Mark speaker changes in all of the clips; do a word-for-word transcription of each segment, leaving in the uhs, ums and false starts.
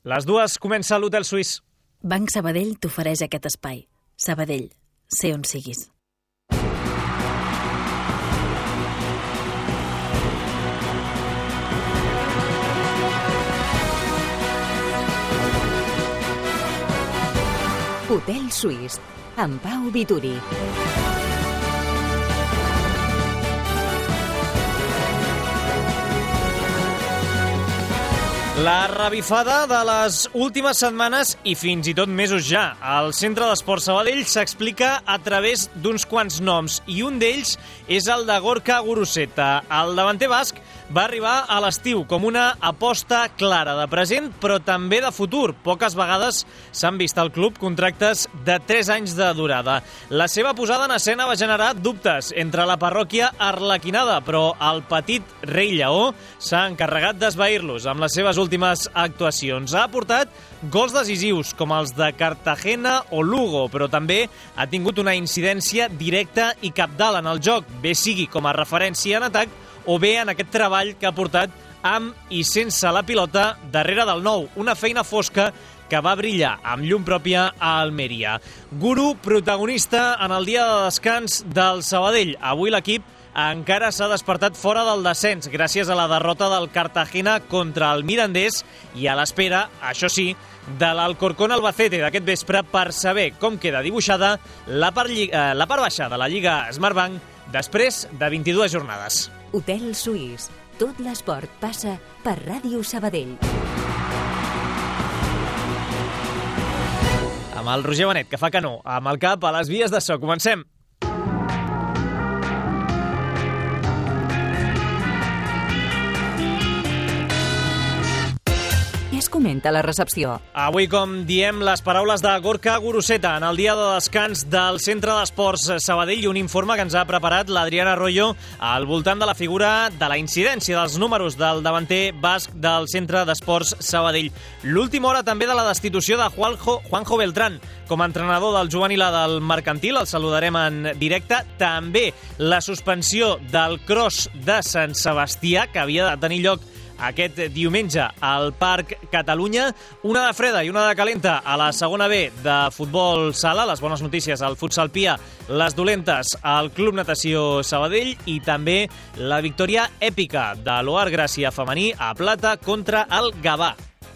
Speaker 1: Les dues comença a l'Hotel Suís.
Speaker 2: Banc Sabadell t'ofereix aquest espai. Sabadell, sé on siguis.
Speaker 3: Hotel Suís, amb Pau Vituri.
Speaker 1: La revifada de les últimes setmanes i fins i tot mesos ja. El Centre d'Esports Sabadell s'explica a través d'uns quants noms i un d'ells és el de Gorka Guruzeta. El davanter basc va arribar a l'estiu com una aposta clara de present però també de futur. Poques vegades s'han vist al club contractes de tres anys de durada. La seva posada en escena va generar dubtes entre la parròquia arlequinada, però el petit rei lleó s'ha encarregat d'esvair-los amb les seves últimes actuacions. Ha aportat gols decisius com els de Cartagena o Lugo, però també ha tingut una incidència directa i cabdal en el joc, bé sigui com a referència en atac o bé en aquest treball que ha portat amb i sense la pilota darrere del nou, una feina fosca que va brillar amb llum pròpia a Almeria. Guru, protagonista en el dia de descans del Sabadell. Avui l'equip encara s'ha despertat fora del descens gràcies a la derrota del Cartagena contra el Mirandés i a l'espera, això sí, de l'Alcorcón Albacete d'aquest vespre per saber com queda dibuixada la part, eh, la part baixa de la Lliga Smartbank després de vint-i-dues jornades.
Speaker 3: Hotel Suís. Tot l'esport passa per Ràdio Sabadell.
Speaker 1: Amb el Roger Benet, que fa que no, amb el cap a les vies de so. Comencem.
Speaker 3: Es comenta la recepció.
Speaker 1: Avui, com diem, les paraules de Gorka Guruzeta en el dia de descans del Centre d'Esports Sabadell i un informe que ens ha preparat l'Adriana Arroyo al voltant de la figura de la incidència dels números del davanter basc del Centre d'Esports Sabadell. L'última hora també de la destitució de Juanjo, Juanjo Beltrán com a entrenador del juvenil del Mercantil, el saludarem en directe. També la suspensió del Cross de Sant Sebastià, que havia de tenir lloc aquest diumenge al Parc Catalunya. Una de freda i una de calenta a la segona B de futbol sala. Les bones notícies al futsal Pia, les dolentes al Club Natació Sabadell i també la victòria èpica de l'Oar Gràcia femení a Plata contra el Gavà.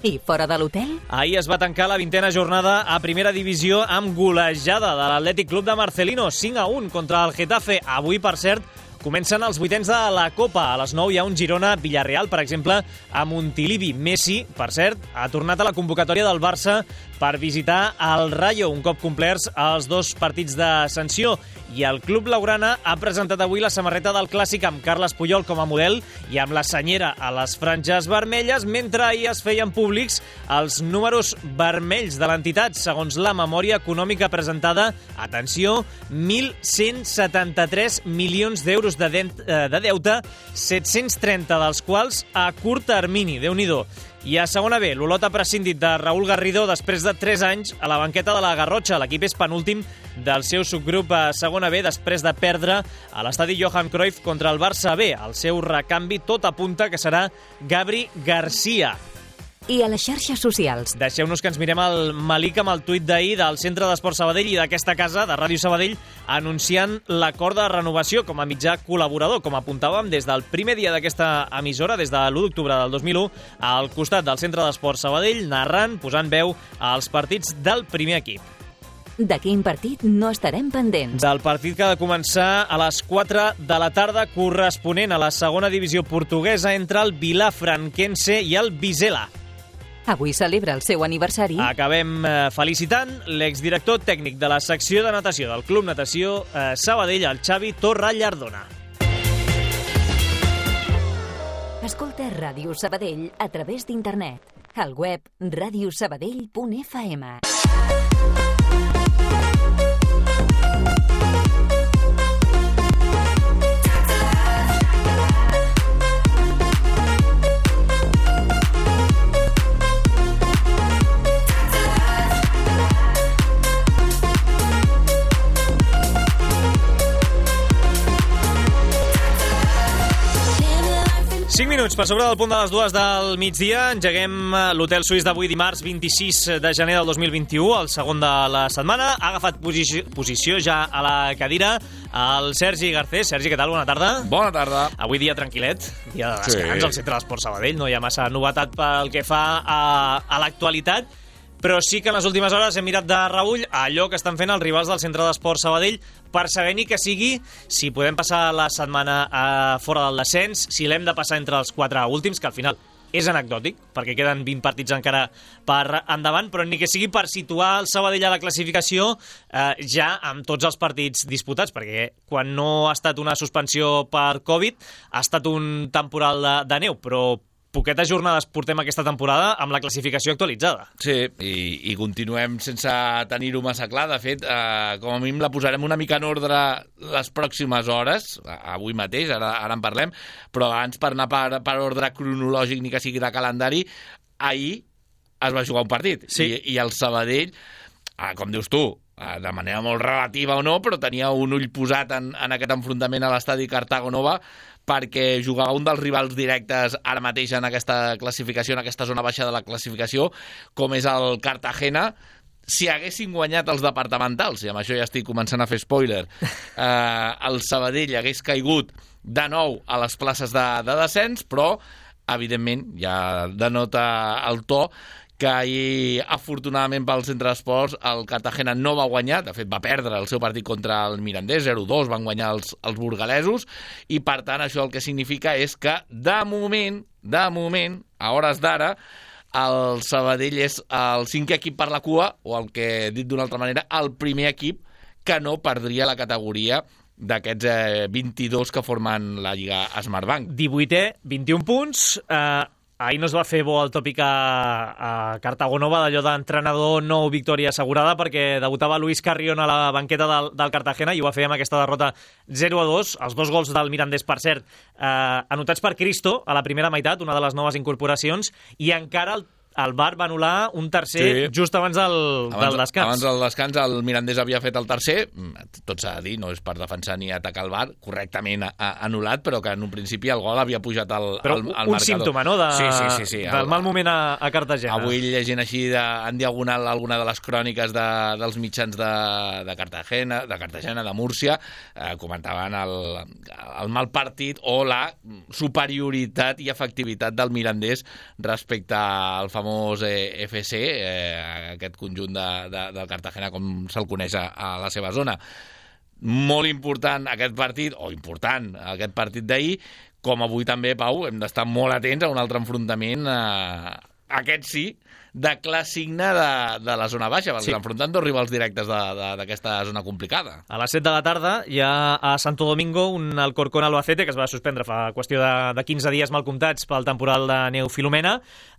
Speaker 3: I fora de l'hotel?
Speaker 1: Ahir es va tancar la vintena jornada a primera divisió amb golejada de l'Atlètic Club de Marcelino, cinc a un contra el Getafe. Avui, per cert, comencen els vuitens de la Copa. A les nou hi ha un Girona-Villarreal, per exemple, a Montilivi. Messi, per cert, ha tornat a la convocatòria del Barça per visitar el Rayo, un cop complerts els dos partits de sanció. I el Club Blaugrana ha presentat avui la samarreta del Clàssic amb Carles Puyol com a model i amb la senyera a les franges vermelles, mentre ahir es feien públics els números vermells de l'entitat, segons la memòria econòmica presentada. Atenció, mil cent setanta-tres milions d'euros de, de, de deute, set-cents trenta dels quals a curt termini, Déu-n'hi-do. I a segona B, l'Olot ha prescindit de Raúl Garrido després de tres anys a la banqueta de la Garrotxa. L'equip és penúltim del seu subgrup a segona B després de perdre a l'estadi Johan Cruyff contra el Barça B. El seu recanvi tot apunta que serà Gabri Garcia.
Speaker 3: I a les xarxes socials.
Speaker 1: Deixeu-nos que ens mirem el Malik amb el tuit d'ahir del Centre d'Esports Sabadell i d'aquesta casa, de Ràdio Sabadell, anunciant l'acord de renovació com a mitjà col·laborador. Com apuntàvem, des del primer dia d'aquesta emissora, des de l'u d'octubre del dos mil u, al costat del Centre d'Esports Sabadell, narrant, posant veu als partits del primer equip.
Speaker 3: De quin partit no estarem pendents?
Speaker 1: Del partit que ha de començar a les quatre de la tarda, corresponent a la segona divisió portuguesa entre el Vilafranquense i el Vizela.
Speaker 3: Avui celebra el seu aniversari.
Speaker 1: Acabem eh, felicitant l'exdirector tècnic de la secció de natació del Club Natació eh, Sabadell, el Xavi Torrallardona.
Speaker 3: Escolta Ràdio Sabadell a través d'internet. Al web radiosabadell punt f m.
Speaker 1: cinc minuts minuts per sobre del punt de les dues del migdia. Engeguem l'hotel suís d'avui dimarts vint-i-sis de gener del dos mil vint-i-u, el segon de la setmana. Ha agafat posició, posició ja a la cadira el Sergi Garcés. Sergi, què tal? Bona tarda.
Speaker 4: Bona tarda.
Speaker 1: Avui dia tranquil·let, dia de descans
Speaker 4: Sí.
Speaker 1: al Centre d'Esport Sabadell. No hi ha massa novetat pel que fa a, a l'actualitat, però sí que en les últimes hores hem mirat de reüll allò que estan fent els rivals del Centre d'Esport Sabadell per saber ni que sigui si podem passar la setmana a fora del descens, si l'hem de passar entre els quatre últims, que al final és anecdòtic, perquè queden vint partits encara per endavant, però ni que sigui per situar el Sabadell a la classificació eh, ja amb tots els partits disputats, perquè quan no ha estat una suspensió per Covid ha estat un temporal de, de neu, però poquetes jornades portem aquesta temporada amb la classificació actualitzada.
Speaker 4: Sí, i, i continuem sense tenir-ho massa clar. De fet, eh, com a mínim la posarem una mica en ordre les pròximes hores, avui mateix, ara, ara en parlem, però abans per anar per, per ordre cronològic ni que sigui de calendari, ahir es va jugar un partit.
Speaker 1: Sí.
Speaker 4: I, i el Sabadell, eh, com dius tu, eh, de manera molt relativa o no, però tenia un ull posat en, en aquest enfrontament a l'estadi Cartago Nova, perquè jugava un dels rivals directes ara mateix en aquesta classificació, en aquesta zona baixa de la classificació, com és el Cartagena. Si haguessin guanyat els departamentals, i amb això ja estic començant a fer spoiler, eh, el Sabadell hagués caigut de nou a les places de, de descens, però, evidentment, ja denota el to que ahir, afortunadament pel Centre d'Esports, el Cartagena no va guanyar, de fet va perdre el seu partit contra el Mirandés, zero dos, van guanyar els, els burgalesos, i per tant això el que significa és que de moment, de moment, a hores d'ara, el Sabadell és el cinquè equip per la cua, o el que, dit d'una altra manera, el primer equip que no perdria la categoria d'aquests eh, vint-i-dos que formen la Lliga Smartbank.
Speaker 1: divuitè, vint-i-un punts. Eh, ahir no es va fer bo el tòpic a, a Cartago Nova d'allò d'entrenador nou victòria assegurada, perquè debutava Luis Carrión a la banqueta del, del Cartagena i ho va fer amb aquesta derrota zero a dos. Els dos gols del Mirandés, per cert, eh, anotats per Cristo a la primera meitat, una de les noves incorporacions, i encara el el V A R va anul·lar un tercer sí. just abans del,
Speaker 4: abans,
Speaker 1: del descans.
Speaker 4: Abans del descans el Mirandés havia fet el tercer, tot s'ha de dir, no és per defensar ni atacar el V A R, correctament a, a, anul·lat, però que en un principi el gol havia pujat al,
Speaker 1: però
Speaker 4: al, al
Speaker 1: un
Speaker 4: marcador.
Speaker 1: símptoma, no?, de,
Speaker 4: sí, sí, sí, sí.
Speaker 1: del
Speaker 4: el,
Speaker 1: mal moment a, a Cartagena.
Speaker 4: Avui llegint així de, en diagonal alguna de les cròniques de, dels mitjans de, de Cartagena, de Cartagena, de Múrcia, eh, comentaven el, el mal partit o la superioritat i efectivitat del Mirandés respecte al famós eh, F C, eh, aquest conjunt de, de, del Cartagena, com se'l coneix a, a la seva zona. Molt important aquest partit, o important aquest partit d'ahir, com avui també, Pau, hem d'estar molt atents a un altre enfrontament, eh, aquest sí, de classigne de, de la zona baixa, perquè sí. Enfrontant dos rivals directes d'aquesta zona complicada.
Speaker 1: A les set de la tarda hi ha a Santo Domingo un Alcorcón Albacete que es va suspendre fa qüestió de, de quinze dies mal comptats pel temporal de neu Filomena.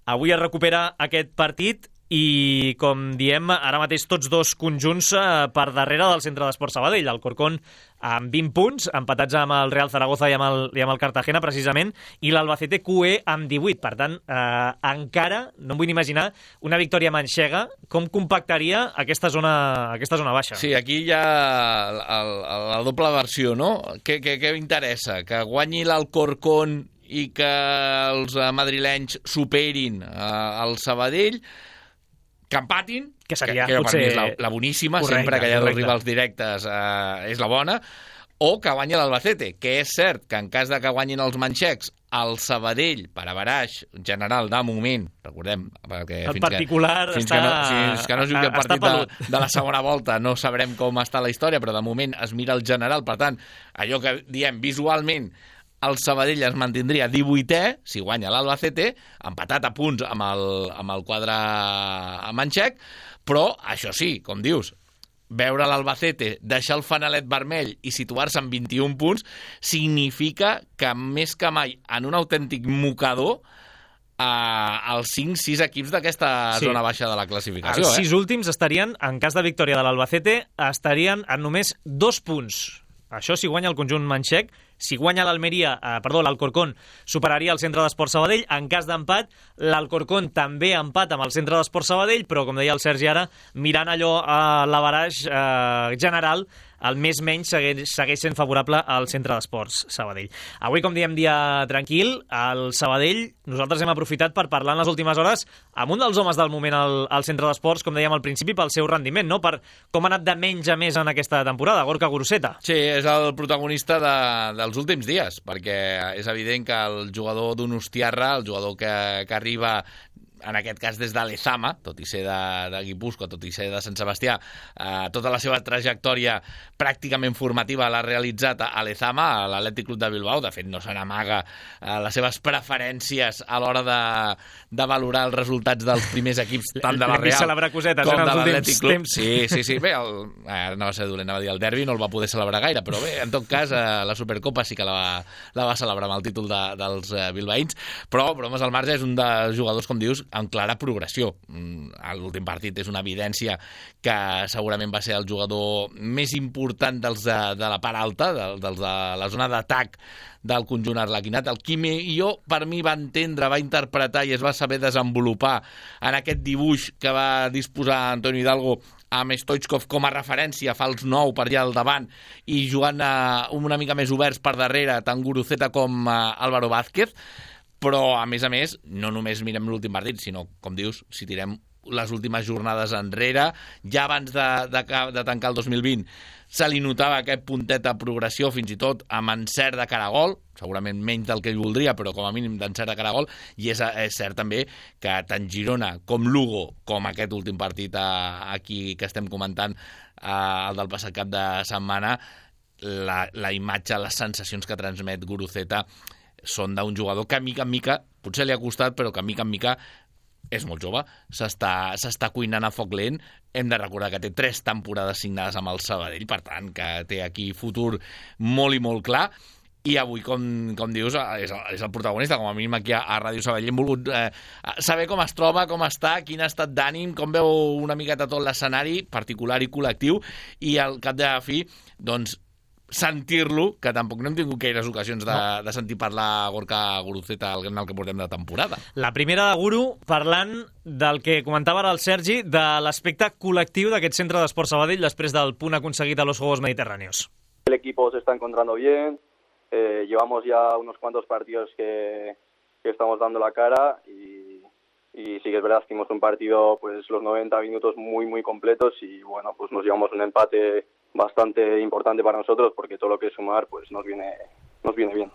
Speaker 1: Avui es recupera aquest partit i, com diem, ara mateix tots dos conjunts eh, per darrere del Centre d'Esport Sabadell. El Corcón amb vint punts, empatats amb el Real Zaragoza i amb el, i amb el Cartagena, precisament, i l'Albacete Q E amb divuit. Per tant, eh, encara no em vull imaginar una victòria manxega com compactaria aquesta zona, aquesta zona baixa.
Speaker 4: Sí, aquí hi ha la, la, la doble versió, no? Què, què, què interessa? Que guanyi l'Alcorcón i que els madrilenys superin eh, el Sabadell, que empatin,
Speaker 1: que seria
Speaker 4: que, que
Speaker 1: potser
Speaker 4: per mi és la, la boníssima,
Speaker 1: correcte,
Speaker 4: sempre que hi ha
Speaker 1: correcte.
Speaker 4: dos rivals directes eh, és la bona, o que guanyi l'Albacete, que és cert que en cas de que guanyin els manxecs, el Sabadell, per averaix general de moment, recordem, perquè
Speaker 1: el
Speaker 4: fins
Speaker 1: particular
Speaker 4: que, fins
Speaker 1: està,
Speaker 4: que no, fins que no jugui el partit de, de la segona volta no sabrem com està la història, però de moment es mira el general, per tant, allò que diem visualment, el Sabadell es mantindria divuitè, si guanya l'Albacete, empatat a punts amb el, amb el quadre manxec, però, això sí, com dius, veure l'Albacete, deixar el fanalet vermell i situar-se en vint-i-un punts significa que més que mai en un autèntic mocador eh, els cinc sis equips d'aquesta sí. zona baixa de la classificació.
Speaker 1: Els
Speaker 4: eh?
Speaker 1: sis últims estarien, en cas de victòria de l'Albacete, estarien en només dos punts. Això si guanya el conjunt manxec. Si guanya l'Almeria, eh, perdó, l'Alcorcón superaria el Centre d'Esport Sabadell. En cas d'empat, l'Alcorcón també empat amb el Centre d'Esport Sabadell, però, com deia el Sergi ara, mirant allò a l'averaix eh, general, el més menys segueix, segueix sent favorable al Centre d'Esports Sabadell. Avui, com diem, dia tranquil, al Sabadell nosaltres hem aprofitat per parlar en les últimes hores amb un dels homes del moment al, al Centre d'Esports, com dèiem al principi, pel seu rendiment, no? Per com ha anat de menys a més en aquesta temporada, Gorka Guruceta.
Speaker 4: Sí, és el protagonista de, dels últims dies, perquè és evident que el jugador d'Unostiarra, el jugador que, que arriba en aquest cas des de l'Ezama, tot i ser de, de Guipúscoa, tot i ser de Sant Sebastià, eh, tota la seva trajectòria pràcticament formativa l'ha realitzat a l'Ezama, a l'Atlètic Club de Bilbao. De fet, no se n'amaga eh, les seves preferències a l'hora de, de valorar els resultats dels primers equips, tant de la Real
Speaker 1: celebrar cosetes,
Speaker 4: com
Speaker 1: en
Speaker 4: de l'Atlètic Club.
Speaker 1: Temps.
Speaker 4: Sí, sí, sí. Bé, el, eh, no va ser dolent, anava a dir el derbi, no el va poder celebrar gaire, però bé, en tot cas, eh, la Supercopa sí que la va, la va celebrar amb el títol de, dels eh, bilbaïns, però, bromes al marge, és un dels jugadors, com dius, amb clara progressió. L'últim partit és una evidència que segurament va ser el jugador més important dels de, de la part alta, dels de la zona d'atac del conjunt arlequinat. El qui millor, per mi, va entendre, va interpretar i es va saber desenvolupar en aquest dibuix que va disposar Antonio Hidalgo amb Stoichkov com a referència, fals nou per allà al davant i jugant uh, una mica més oberts per darrere, tant Guruceta com uh, Álvaro Vázquez. Però, a més a més, no només mirem l'últim partit, sinó, com dius, si tirem les últimes jornades enrere, ja abans de, de, de tancar el dos mil vint, se li notava aquest puntet de progressió, fins i tot amb encert de cara a gol, segurament menys del que ell voldria, però com a mínim d'encert de cara a gol, i és, és cert també que tant Girona com Lugo, com aquest últim partit a, aquí que estem comentant, a, el del passat cap de setmana, la, la imatge, les sensacions que transmet Guruceta són d'un jugador que mica en mica, potser li ha costat, però que mica en mica és molt jove, s'està s'està cuinant a foc lent. Hem de recordar que té tres temporades signades amb el Sabadell, per tant, que té aquí futur molt i molt clar. I avui, com, com dius, és el, és el protagonista, com a mínim aquí a, a Ràdio Sabadell. Hem volgut eh, saber com es troba, com està, quin estat d'ànim, com veu una miqueta tot l'escenari, particular i col·lectiu, i al cap de la fi, doncs, sentir-lo, que tampoc no hem tingut gaires ocasions de, no. de sentir parlar a Gorka Guruceta en el que portem de temporada.
Speaker 1: La primera de Guru, parlant del que comentava ara el Sergi, de l'aspecte col·lectiu d'aquest Centre d'Esports Sabadell després del punt aconseguit a los Juegos Mediterráneos.
Speaker 5: El equipo se está encontrando bien, eh, llevamos ya unos cuantos partidos que, que estamos dando la cara y, y sí que es verdad que hicimos un partido pues los noventa minutos muy muy completos y bueno, pues nos llevamos un empate bastante importante para nosotros porque todo lo que es sumar pues nos viene nos viene bien.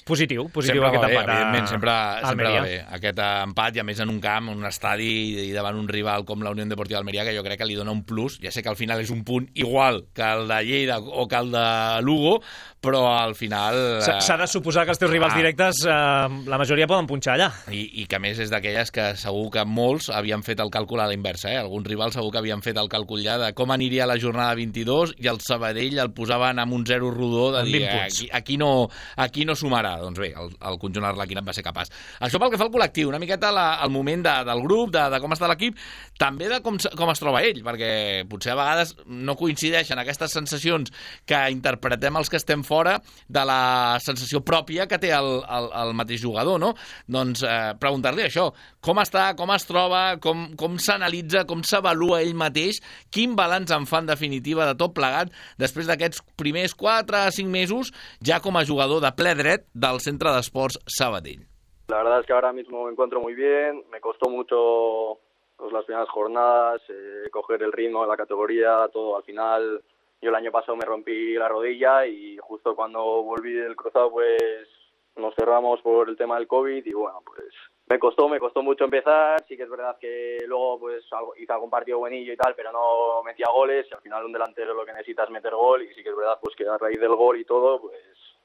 Speaker 1: Positiu, positiu
Speaker 4: sempre
Speaker 1: aquest
Speaker 4: va bé,
Speaker 1: empat a
Speaker 4: evidentment, sempre, sempre va bé aquest empat, i a més en un camp, en un estadi i davant un rival com la Unió Deportiva d'Almeria, que jo crec que li dona un plus. Ja sé que al final és un punt igual que el de Lleida o que el de Lugo, però al final...
Speaker 1: S'ha de suposar que els teus rivals ah. directes eh, la majoria poden punxar allà.
Speaker 4: I, i que a més és d'aquelles que segur que molts havien fet el càlcul a la inversa, eh? Alguns rivals segur que havien fet el càlcul ja de com aniria la jornada vint-i-dos i el Sabadell el posaven amb un zero rodó de dir aquí, aquí, no, aquí no sumarà. Doncs bé, el, el conjunt arlequinat va ser capaç. Això pel que fa al col·lectiu, una miqueta la, el moment de, del grup, de, de com està l'equip, també de com, com es troba ell, perquè potser a vegades no coincideixen aquestes sensacions que interpretem els que estem fora de la sensació pròpia que té el, el, el mateix jugador, no? Doncs eh, preguntar-li això, com està, com es troba, com, com s'analitza, com s'avalua ell mateix, quin balanç en fa en definitiva de tot plegat després d'aquests primers quatre a cinc mesos ja com a jugador de ple dret del Centre d'Esports Sabadell.
Speaker 5: La verdad es que ahora mismo me encuentro muy bien, me costó mucho pues, las primeras jornadas, eh, coger el ritmo de la categoría, todo al final. Yo el año pasado me rompí la rodilla y justo cuando volví del cruzado pues nos cerramos por el tema del COVID y bueno, pues me costó, me costó mucho empezar. Sí que es verdad que luego pues hice algún partido buenillo y tal, pero no metía goles y al final un delantero lo que necesita es meter gol y sí que es verdad pues que a raíz del gol y todo pues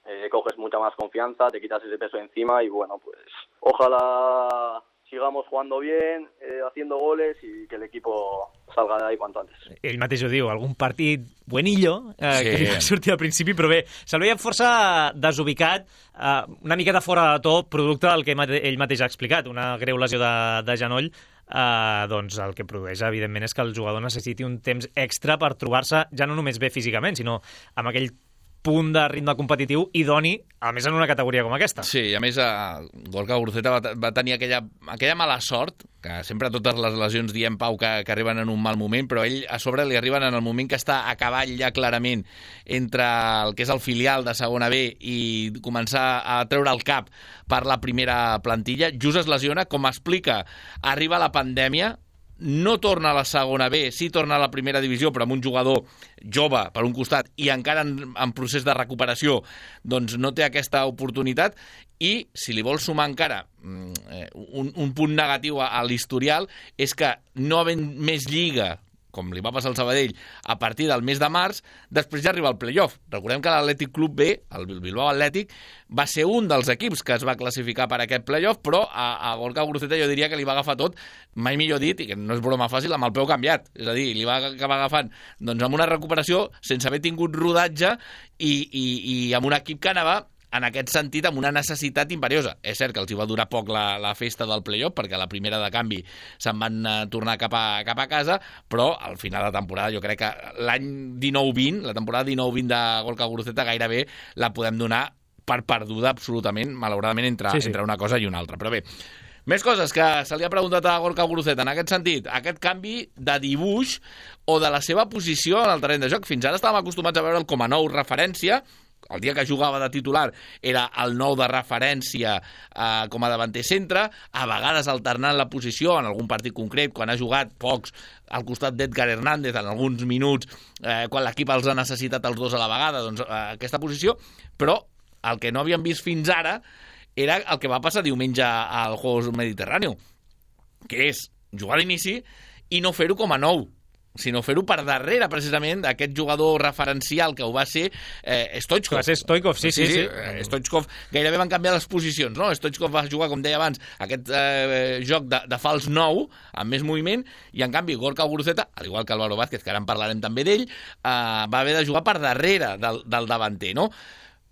Speaker 5: eh, coges mucha más confianza, te quitas ese peso encima y bueno, pues ojalá sigamos jugando bien, eh, haciendo goles i que l'equipo salga d'ahí cuanto antes.
Speaker 1: Ell mateix ho diu, algun partit buenillo, eh, sí. que li va sortir al principi, però bé, se'l veia força desubicat, eh, una miqueta fora de to, producte del que ell mateix ha explicat, una greu lesió de, de genoll, eh, doncs el que produeix, evidentment, és que el jugador necessiti un temps extra per trobar-se, ja no només bé físicament, sinó amb aquell punt de ritme competitiu idoni, a més en una categoria com aquesta.
Speaker 4: Sí, i a més eh, Gorka Guruceta va, va tenir aquella, aquella mala sort que sempre totes les lesions diem, Pau, que, que arriben en un mal moment, però ell a sobre li arriben en el moment que està a cavall ja clarament entre el que és el filial de segona B i començar a treure el cap per la primera plantilla. Just es lesiona, com explica, arriba la pandèmia, no torna a la segona B, sí torna a la primera divisió, però amb un jugador jove per un costat i encara en, en procés de recuperació, doncs no té aquesta oportunitat. I si li vols sumar encara un, un punt negatiu a, a l'historial és que no havent més lliga, com li va passar al Sabadell, a partir del mes de març, després ja arriba el playoff. Recordem que l'Atlètic Club B, el Bilbao Atlètic, va ser un dels equips que es va classificar per aquest playoff, però a, a Gorka Guruceta jo diria que li va agafar tot, mai millor dit, i que no és broma fàcil, amb el peu canviat. És a dir, li va acabar agafant doncs, amb una recuperació sense haver tingut rodatge i, i, i amb un equip que anava en aquest sentit, amb una necessitat imperiosa. És cert que els hi va durar poc la, la festa del playoff, perquè a la primera de canvi se'n van uh, tornar cap a, cap a casa, però al final de temporada jo crec que l'any dinou vint, la temporada dinou vint de Gorka Guruceta gairebé la podem donar per perduda absolutament, malauradament, entre, sí, sí. entre una cosa i una altra. Però bé, més coses que se li ha preguntat a Gorka Guruceta en aquest sentit, aquest canvi de dibuix o de la seva posició en el terreny de joc. Fins ara estàvem acostumats a veure'l com a nou referència. El dia que jugava de titular era el nou de referència eh, com a davanter centre, a vegades alternant la posició en algun partit concret, quan ha jugat pocs al costat d'Edgar Hernández en alguns minuts, eh, quan l'equip els ha necessitat els dos a la vegada, doncs eh, aquesta posició, però el que no havíem vist fins ara era el que va passar diumenge al Juegos Mediterráneo, que és jugar a l'inici i no fer-ho com a nou, sinó fer-ho per darrere, precisament, d'aquest jugador referencial que ho va ser eh, Stoichkov.
Speaker 1: Va ser Stoichkov, sí, sí. sí, sí.
Speaker 4: sí. Stoichkov gairebé van canviar les posicions, no? Stoichkov va jugar, com deia abans, aquest eh, joc de, de fals nou, amb més moviment, i en canvi Gorka Guruceta, al igual que Álvaro Vázquez, que ara en parlarem també d'ell, eh, va haver de jugar per darrere del, del davanter, no?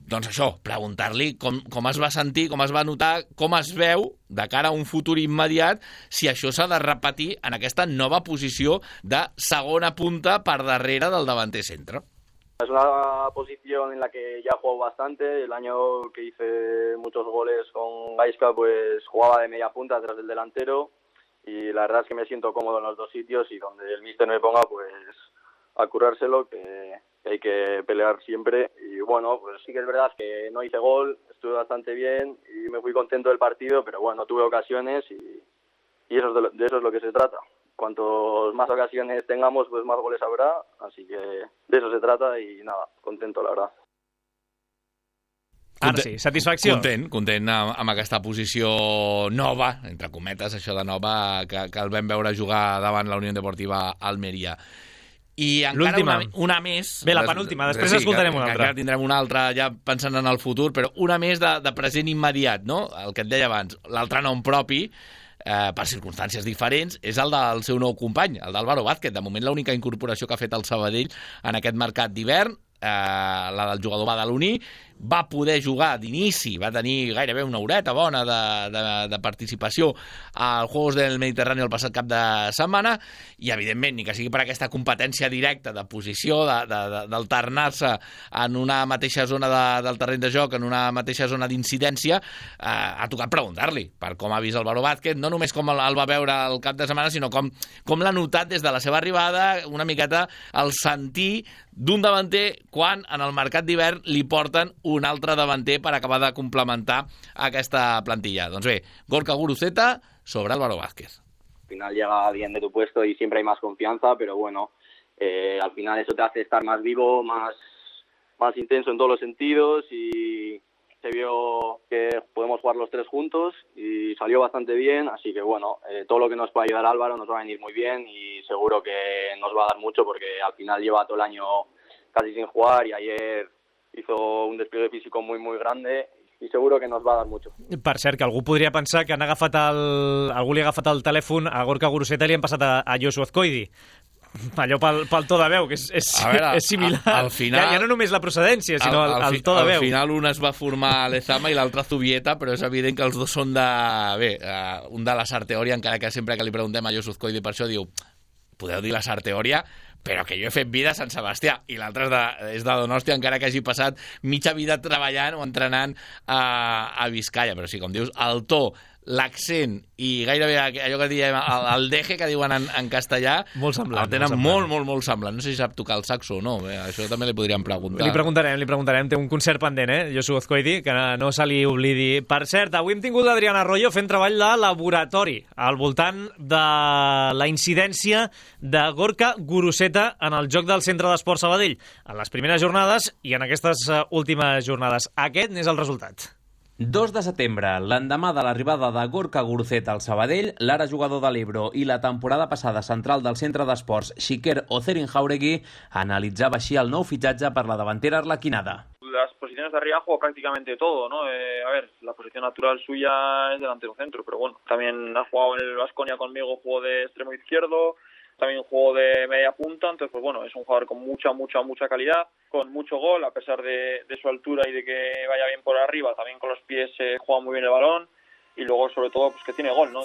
Speaker 4: Doncs això, preguntar-li com, com es va sentir, com es va notar, com es veu de cara a un futur immediat, si això s'ha de repetir en aquesta nova posició de segona punta per darrere del davanter centre.
Speaker 5: Es una posición en la que ya juego bastante. El año que hice muchos goles con Gaisca, pues jugaba de media punta detrás del delantero, y la verdad es que me siento cómodo en los dos sitios, y donde el míster me ponga, pues a curárselo, que hay que pelear siempre. Y bueno, pues sí que es verdad que no hice gol, estuve bastante bien y me fui contento del partido, pero bueno, tuve ocasiones y, y eso es de, lo, de eso es lo que se trata. Cuantos más ocasiones tengamos, pues más goles habrá, así que de eso se trata y nada, contento la verdad.
Speaker 1: Ara sí, satisfacció.
Speaker 4: Content, content amb, amb aquesta posició nova, entre cometes, això de nova, que, que el vam veure jugar davant la Unió Deportiva Almeria. I encara una, una més...
Speaker 1: Bé, la penúltima, després sí, escoltarem una altra.
Speaker 4: Encara tindrem una altra, ja pensant en el futur, però una més de, de present immediat, no? El que et deia abans, l'altre nom propi, eh, per circumstàncies diferents, és el del seu nou company, el d'Álvaro Vázquez. De moment, l'única incorporació que ha fet el Sabadell en aquest mercat d'hivern, eh, la del jugador badaloní, va poder jugar d'inici, va tenir gairebé una horeta bona de, de, de participació als Juegos del Mediterrani el passat cap de setmana, i evidentment, ni que sigui per aquesta competència directa de posició, d'alternar-se en una mateixa zona de, del terreny de joc, en una mateixa zona d'incidència, eh, ha tocat preguntar-li per com ha vist Álvaro Vázquez, no només com el, el va veure el cap de setmana, sinó com, com l'ha notat des de la seva arribada, una miqueta el sentir d'un davanter quan en el mercat d'hivern li porten un altre davanter per acabar de complementar aquesta plantilla. Doncs bé, Gorka Guruceta sobre Álvaro Vázquez.
Speaker 5: Al final llega alguien de tu puesto y siempre hay más confianza, pero bueno, eh, al final eso te hace estar más vivo, más, más intenso en todos los sentidos, y se vio que podemos jugar los tres juntos y salió bastante bien, así que bueno, eh, todo lo que nos pueda ayudar Álvaro nos va a venir muy bien y seguro que nos va a dar mucho, porque al final lleva todo el año casi sin jugar y ayer hizo un despliegue físico muy muy grande i seguro que nos va a dar mucho.
Speaker 1: Per cert, que algú podria pensar que han agafat el... algú li ha agafat el telèfon a Gorka Guruceta i li han passat a, a Josu Azcoidi. Allò pel, pel to de veu, que és, és, veure, és similar.
Speaker 4: Al, al final,
Speaker 1: ja, ja no només la procedència, sinó al, al, el to de veu.
Speaker 4: Al final un es va formar a Lezama i l'altre a Zubieta, però és evident que els dos són de... Bé, uh, un de la Sarteoria, encara que sempre que li preguntem a Josu Azcoidi per això diu... Podeu dir la Sarteoria, però que jo he fet vida a Sant Sebastià, i l'altre és, de, és de Donòstia, encara que hagi passat mitja vida treballant o entrenant a, a Vizcaya. Però sí, com dius, el to, l'accent i gairebé allò que diem, el, el deje que diuen en, en castellà,
Speaker 1: molt semblant,
Speaker 4: el tenen
Speaker 1: molt,
Speaker 4: molt, molt, molt semblant. No sé si sap tocar el saxo o no, bé, això també li podríem preguntar.
Speaker 1: Li preguntarem, li preguntarem. Té un concert pendent, eh, Josu Azcoidi, que no se li oblidi. Per cert, avui hem tingut l'Adriana Arroyo fent treball de laboratori al voltant de la incidència de Gorka Guruceta en el joc del Centre d'Esport Sabadell, en les primeres jornades i en aquestes últimes jornades. Aquest n'és el resultat.
Speaker 6: dos de setembre, l'endemà de l'arribada de Gorka Guruceta al Sabadell, l'ara jugador de l'Ebro i la temporada passada central del centre d'esports Xiquer Ozerin Jauregui analitzaba així el nou fitxatge per la davantera arlequinada.
Speaker 7: Las posiciones de arriba juego prácticamente todo, ¿no? Eh, a ver, la posición natural suya es delantero centro, pero bueno, también ha jugado en el Baskonia conmigo, juego de extremo izquierdo, también juego de media punta, entonces pues bueno, es un jugador con mucha, mucha, mucha calidad, con mucho gol, a pesar de, de su altura y de que vaya bien por arriba, también con los pies eh, juega muy bien el balón, y luego sobre todo pues que tiene gol, ¿no?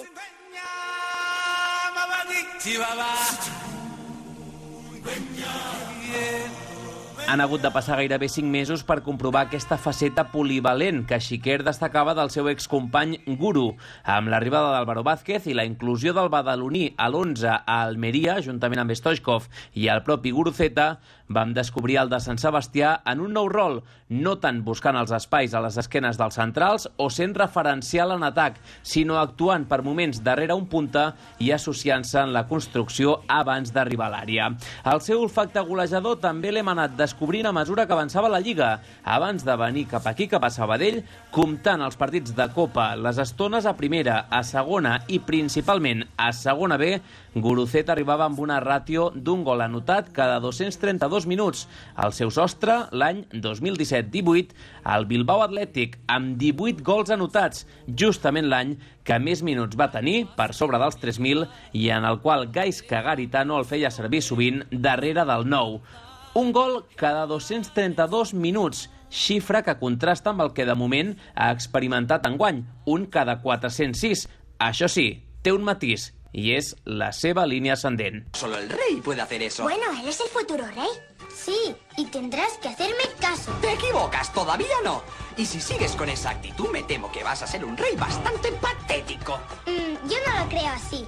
Speaker 6: Han hagut de passar gairebé cinc mesos per comprovar aquesta faceta polivalent que Xiquer destacava del seu excompany Guru. Amb l'arribada d'Álvaro Vázquez i la inclusió del badaloní a l'onze a Almeria, juntament amb Stoichkov i el propi Guruceta, vam descobrir el de Sant Sebastià en un nou rol, no tant buscant els espais a les esquenes dels centrals o sent referencial en atac, sinó actuant per moments darrere un punta i associant-se en la construcció abans d'arribar a l'àrea. El seu olfacte golejador també l'hem anat descobrint a mesura que avançava la Lliga, abans de venir cap aquí, cap a Sabadell, comptant els partits de Copa, les estones a primera, a segona i principalment a segona B, Guruceta arribava amb una ràtio d'un gol anotat cada dos-cents trenta-dos minuts. El seu sostre, l'any dos mil disset divuit, el Bilbao Athletic, amb divuit gols anotats, justament l'any que més minuts va tenir, per sobre dels tres mil, i en el qual Gaizka Garitano el feia servir sovint darrere del nou. Un gol cada dos-cents trenta-dos minuts, xifra que contrasta amb el que de moment ha experimentat enguany, un cada quatre-cents sis. Això sí, té un matís, y es la seva línea ascendent.
Speaker 8: Solo el rey puede hacer eso.
Speaker 9: Bueno, él es el futuro rey. Sí, y tendrás que hacerme caso.
Speaker 8: Te equivocas, todavía no. Y si sigues con esa actitud, me temo que vas a ser un rey bastante patético.
Speaker 9: Mm, yo no lo creo así.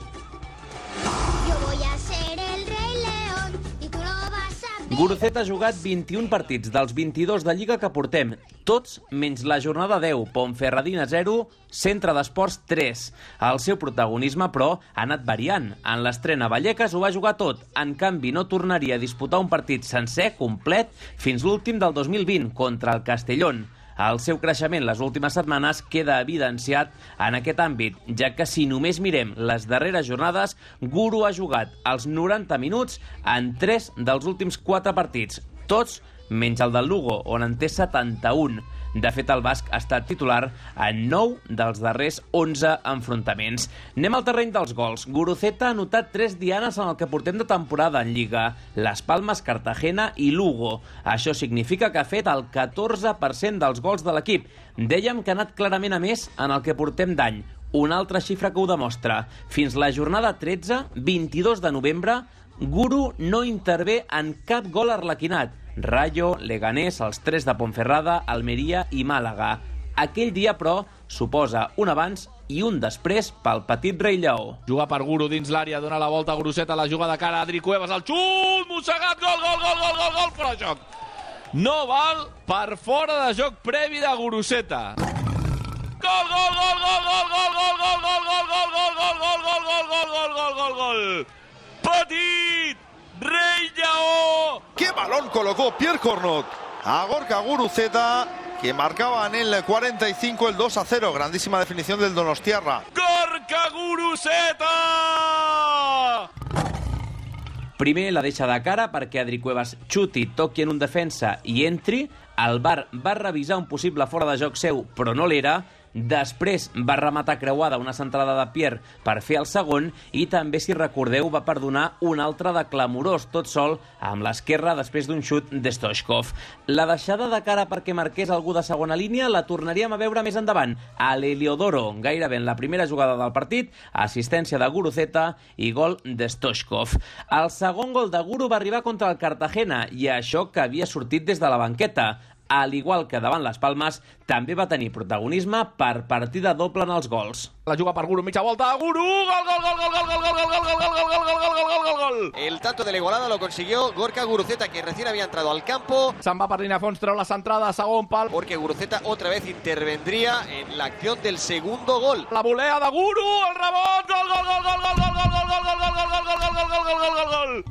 Speaker 9: Yo voy a ser el rey león y tú lo vas a ver.
Speaker 6: Guruceta ha jugat vint-i-un partits dels vint-i-dos de Lliga que portem, tots menys la jornada deu, Ponferradina zero, Centre d'Esports tres. El seu protagonisme, però, ha anat variant. En l'estrena Vallecas ho va jugar tot. En canvi, no tornaria a disputar un partit sencer, complet, fins l'últim del dos mil vint, contra el Castellón. El seu creixement les últimes setmanes queda evidenciat en aquest àmbit, ja que si només mirem les darreres jornades, Guru ha jugat els noranta minuts en tres dels últims quatre partits, tots menys el del Lugo, on en té setanta-un. De fet, el basc ha estat titular en nou dels darrers onze enfrontaments. Anem al terreny dels gols. Guruceta ha anotat tres dianes en el que portem de temporada en Lliga: Las Palmas, Cartagena i Lugo. Això significa que ha fet el catorze per cent dels gols de l'equip. Dèiem que ha anat clarament a més en el que portem d'any. Una altra xifra que ho demostra. Fins la jornada tretze, vint-i-dos de novembre, Guru no intervé en cap gol arlequinat. Rayo, Leganés, els tres de Ponferrada, Almeria i Màlaga. Aquell dia, però, suposa un abans i un després pel petit rei lleó.
Speaker 4: Juga per Guru dins l'àrea, dona la volta a Guruceta, la juga de cara a Adri Cuevas, el xut, mossegat, gol, gol, gol, gol, gol, gol, fora de joc. No val per fora de joc previ de Guruceta. Gol, gol, gol, gol, gol, gol, gol, gol, gol, gol, gol, gol, gol, gol, gol, gol, gol, gol, gol, gol. Petit rei lleó.
Speaker 10: ¡Qué balón colocó Pierre Cornot a Gorka Guruceta, que marcaba en el cuarenta y cinco el dos a cero. Grandísima definición del donostiarra.
Speaker 4: Gorka Guruceta!
Speaker 6: Primer la deixa de cara perquè Adri Cuevas xuti, toqui en un defensa i entri. El V A R va revisar un possible fora de joc seu, però no l'era, Després va rematar creuada una centrada de Pierre per fer el segon i també, si recordeu, va perdonar un altre de clamorós, tot sol, amb l'esquerra després d'un xut de Stoichkov. La deixada de cara perquè marqués algú de segona línia la tornaríem a veure més endavant, a l'Heliodoro, gairebé en la primera jugada del partit, assistència de Guruceta i gol de Stoichkov. El segon gol de Guru va arribar contra el Cartagena i això que havia sortit des de la banqueta. Al igual que davant les Palmes, també va tenir protagonisme per partida doble en els gols.
Speaker 11: La juga per Guru, mitja volta, Guru, gol, gol, gol, gol, gol, gol, gol, gol, gol, gol, gol, gol, gol, gol, gol.
Speaker 12: El tanto de la igualada lo consiguió Gorka Guruceta, que recién había entrado al campo.
Speaker 11: Se'n va per línia fons, treu la centrada, segon pal.
Speaker 12: Porque Guruceta otra vez intervendría en la acción del segundo gol.
Speaker 11: La volea de Guru, el rebot, gol, gol, gol, gol, gol, gol, gol, gol, gol, gol, gol, gol, gol, gol, gol, gol, gol, gol.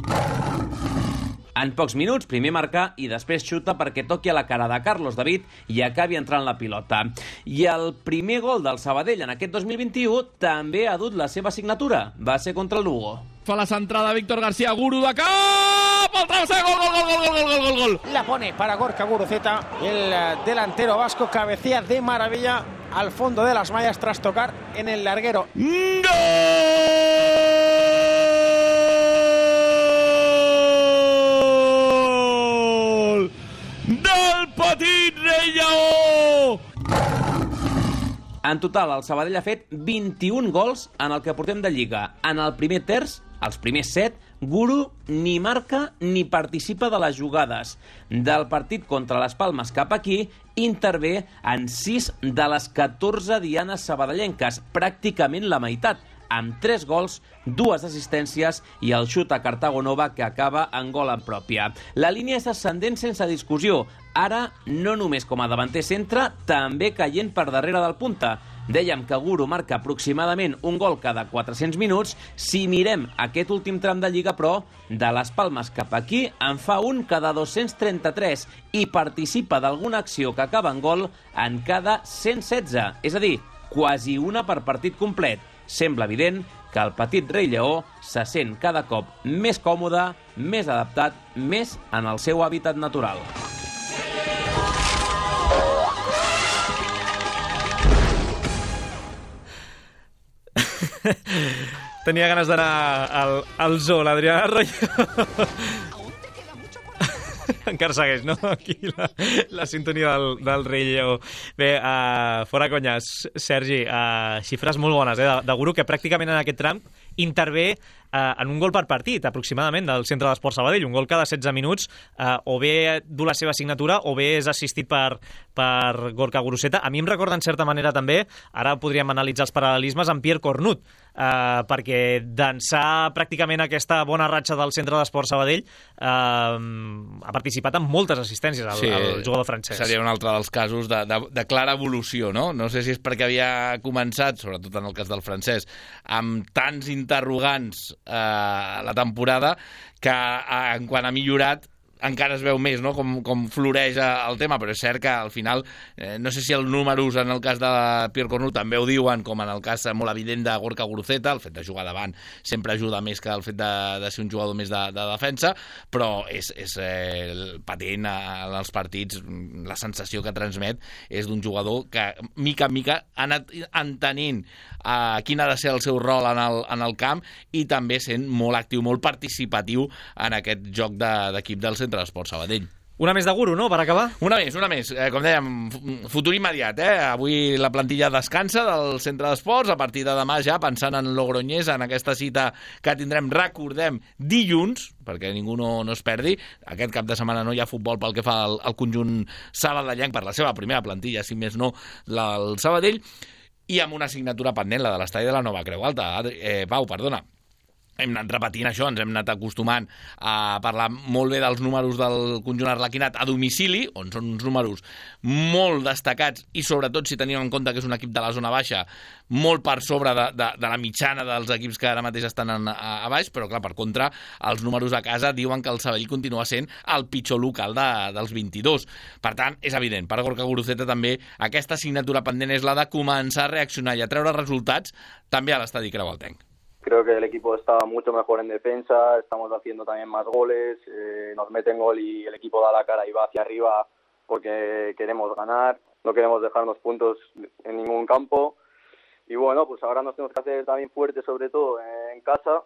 Speaker 6: En pocs minuts, primer marcar i després xuta perquè toqui a la cara de Carlos David i acabi entrant la pilota. I el primer gol del Sabadell en aquest dos mil vint-i-u també ha dut la seva signatura. Va ser contra el Lugo.
Speaker 11: Fa la centrada Víctor García, Guru de cap, al travesser, gol, gol, gol, gol, gol, gol, gol.
Speaker 13: La pone para Gorka Guruceta, el delantero vasco cabecea de maravilla al fondo de las mallas tras tocar en el larguero.
Speaker 11: ¡Gol! Del petit Rei Lleó!
Speaker 6: En total, el Sabadell ha fet vint-i-un gols en el que portem de Lliga. En el primer terç, els primers set, Guru ni marca ni participa de les jugades. Del partit contra les Palmes cap aquí, intervé en sis de les catorze dianes sabadellenques, pràcticament la meitat, amb tres gols, dues assistències i el xut a Cartago Nova que acaba en gol en pròpia. La línia és ascendent sense discussió. Ara, no només com a davanter centre, també caient per darrere del punta. Dèiem que Guru marca aproximadament un gol cada quatre-cents minuts. Si mirem aquest últim tram de Lliga, però, de les Palmes cap aquí, en fa un cada dos-cents trenta-tres i participa d'alguna acció que acaba en gol en cada cent setze, és a dir, quasi una per partit complet. Sembla evident que el petit Rei Lleó se sent cada cop més còmode, més adaptat, més en el seu hàbitat natural.
Speaker 1: Tenia ganes d'anar al, al zoo, l'Adrià Arroyo. Encara segueix, no? Aquí la, la sintonia del, del Rei Lleó. Bé, uh, fora conyes, Sergi, uh, xifres molt bones, eh, de, de Guru, que pràcticament en aquest tram intervé uh, en un gol per partit, aproximadament, del Centre d'Esport Sabadell. Un gol cada setze minuts, uh, o bé du la seva signatura, o bé és assistit per, per Gorka Guruceta. A mi em recorda, en certa manera, també, ara podríem analitzar els paral·lelismes, amb Pierre Cornut, uh, perquè d'ençà pràcticament aquesta bona ratxa del Centre d'Esport Sabadell uh, ha participat en moltes assistències al, sí, al jugador francès. Seria
Speaker 4: un altre dels casos de, de, de clara evolució, no? No sé si és perquè havia començat, sobretot en el cas del francès, amb tants interrogants eh, la temporada que eh, en quan ha millorat encara es veu més, no?, com, com floreix el tema, però és cert que al final, eh, no sé si els números en el cas de Pierre Cornut també ho diuen, com en el cas molt evident de Gorka Guruceta, el fet de jugar davant sempre ajuda més que el fet de, de ser un jugador més de, de defensa, però és, és eh, patent en els partits, la sensació que transmet és d'un jugador que mica en mica ha anat entenent eh, quin ha de ser el seu rol en el, en el camp i també sent molt actiu, molt participatiu en aquest joc d'equip de, del Centre d'Esport Sabadell.
Speaker 1: Una més de Guru, no?, per acabar?
Speaker 4: Una més, una més. Eh, com dèiem, futur immediat, eh? Avui la plantilla descansa del Centre d'Esports, a partir de demà ja pensant en Logroñés, en aquesta cita que tindrem, recordem, dilluns, perquè ningú no, no es perdi. Aquest cap de setmana no hi ha futbol pel que fa al, al conjunt sabadellenc per la seva primera plantilla, si més no, la, el Sabadell, i amb una assignatura pendent, la de l'estadi de la Nova Creu Alta. Eh, Pau, perdona. Hem anat repetint això, ens hem anat acostumant a parlar molt bé dels números del conjunt arlequinat a domicili, on són uns números molt destacats i sobretot si tenim en compte que és un equip de la zona baixa molt per sobre de, de, de la mitjana dels equips que ara mateix estan en, a, a baix, però clar, per contra, els números a casa diuen que el Sabadell continua sent el pitjor local de, dels vint-i-dos. Per tant, és evident, per Gorka Guruceta també aquesta assignatura pendent és la de començar a reaccionar i a treure resultats també a l'estadi Creualtenc.
Speaker 5: Creo que el equipo está mucho mejor en defensa, estamos haciendo también más goles, eh, nos meten gol y el equipo da la cara y va hacia arriba porque queremos ganar. no queremos dejarnos puntos en ningún campo. Y bueno, pues ahora nos tenemos que hacer también fuertes, sobre todo en casa,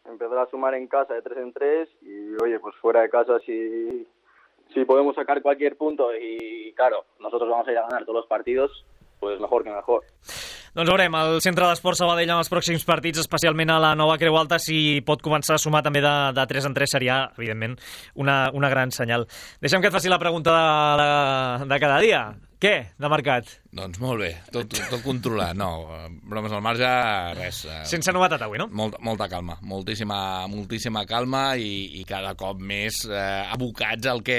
Speaker 5: empezar a sumar en casa de tres en tres y, oye, pues fuera de casa si, si podemos sacar cualquier punto y, claro, nosotros vamos a ir a ganar todos los partidos, pues mejor que mejor.
Speaker 1: Doncs veurem, el Centre d'Esports Sabadell en els pròxims partits, especialment a la nova Creu Alta, si pot començar a sumar també de, de tres en tres, seria, evidentment, una, una gran senyal. Deixa'm que et faci la pregunta de, de, de cada dia. Què, de mercat?
Speaker 4: Doncs molt bé, tot, tot controlat, no, bromes al marge, res.
Speaker 1: Sense novetat avui, no?
Speaker 4: Molt, molta calma, moltíssima, moltíssima calma i, i cada cop més eh, abocats al que